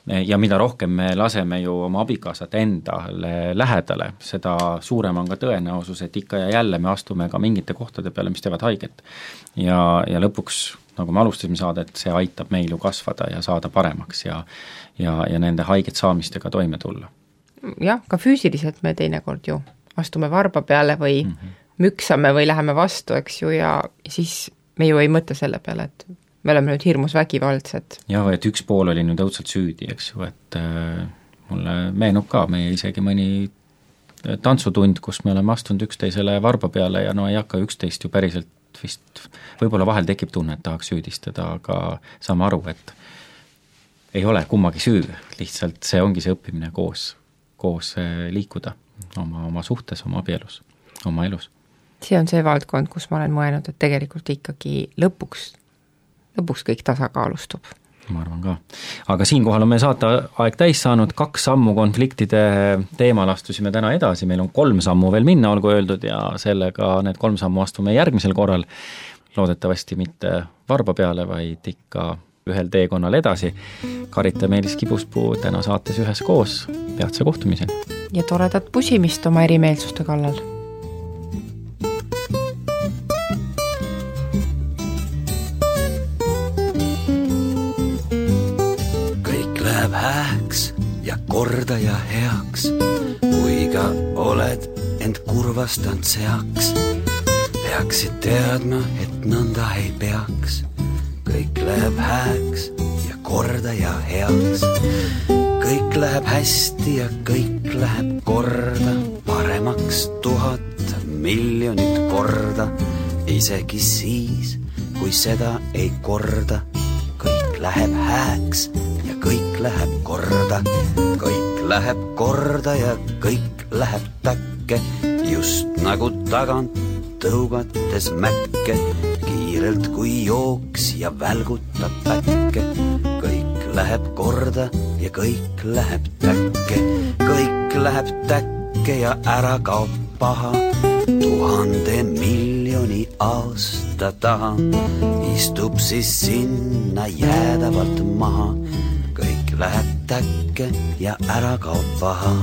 [SPEAKER 4] ja mida rohkem me laseme ju oma abikaasat endale lähedale, seda suurem on ka tõenäosus, et ikka ja jälle me astume ka mingite kohtade peale, mis teevad haiget. Ja, ja lõpuks, nagu me alustasime saadet, see aitab meil ju kasvada ja saada paremaks ja, ja, ja nende haiget saamistega toime tulla.
[SPEAKER 5] Jah, ka füüsiliselt me teinekord ju astume varba peale või mm -hmm. müksame või läheme vastu, eks ju, ja siis me ju ei mõtle selle peale, et me oleme nüüd hirmus vägivaldsed.
[SPEAKER 4] Jah, et üks pool oli nüüd õudselt süüdi, eks ju, et äh, mulle meenub ka meie isegi mõni tantsutund, kus me oleme astunud üksteisele varba peale ja no ei hakka üksteist ju päriselt vist, võib-olla vahel tekib tunne, et tahaks süüdistada, aga saame aru, et ei ole kummagi süü, lihtsalt see ongi see õppimine koos, koos liikuda oma, oma suhtes, oma abielus, oma elus.
[SPEAKER 5] See on see valdkond, kus ma olen mõelnud, et tegelikult ikkagi lõpuks lõpuks kõik tasakaalustub.
[SPEAKER 4] Ma arvan ka. Aga siinkohal on meie saate aeg täis saanud, kaks sammu konfliktide teemal astusime täna edasi, meil on kolm sammu veel minna, olgu öeldud, ja sellega need kolm sammu astume järgmisel korral, loodetavasti mitte varba peale, vaid ikka ühel teekonnal edasi. Karita Meelis Kibuspuu täna saates ühes koos, peatse kohtumiseni.
[SPEAKER 5] Ja toredat pusimist oma erimeelsuste kallal.
[SPEAKER 6] Hääks ja korda ja heaks, kui ka oled end kurvastanud seaks. Peaksid teadma, et nõnda ei peaks. Kõik läheb hääks ja korda ja heaks. Kõik läheb hästi ja kõik läheb korda, paremaks tuhat miljonit korda. Isegi siis, kui seda ei korda, kõik läheb hääks ja kõik läheb korda. Kõik läheb korda ja kõik läheb täkke, just nagu tagant tõugates mäkke, kiirelt kui jooks ja välgutab päkke. Kõik läheb korda ja kõik läheb täkke, kõik läheb täkke ja ära kaob paha. Tuhande miljoni aasta taha istub siis sinna jäädavalt maha. Kõik läheb täkke ja ära kaob paha.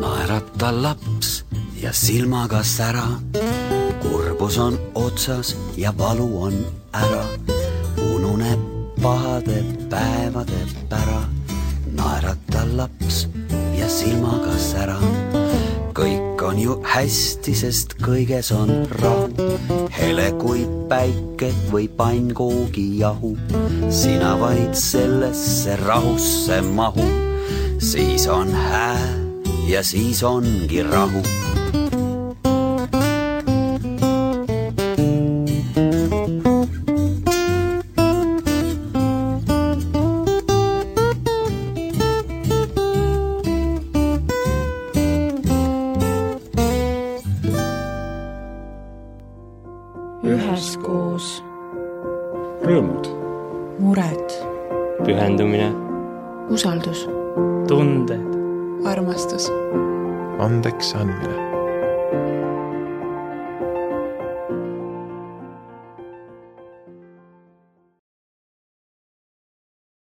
[SPEAKER 6] Naerata laps ja silmaga sära, kurbus on otsas ja valu on ära. Ununeb pahade päevade pära, naerata laps ja silmaga sära. Kõik on ju hästi, sest kõiges on rahu, hele kui päike või pannkoogi jahu. Sina vaid sellesse rahusse mahu, siis on hää ja siis ongi rahu.
[SPEAKER 1] Üheskoos.
[SPEAKER 2] Rõõmud.
[SPEAKER 1] Mured.
[SPEAKER 3] Pühendumine.
[SPEAKER 1] Usaldus.
[SPEAKER 3] Tunded.
[SPEAKER 1] Armastus.
[SPEAKER 2] Andeks andmine.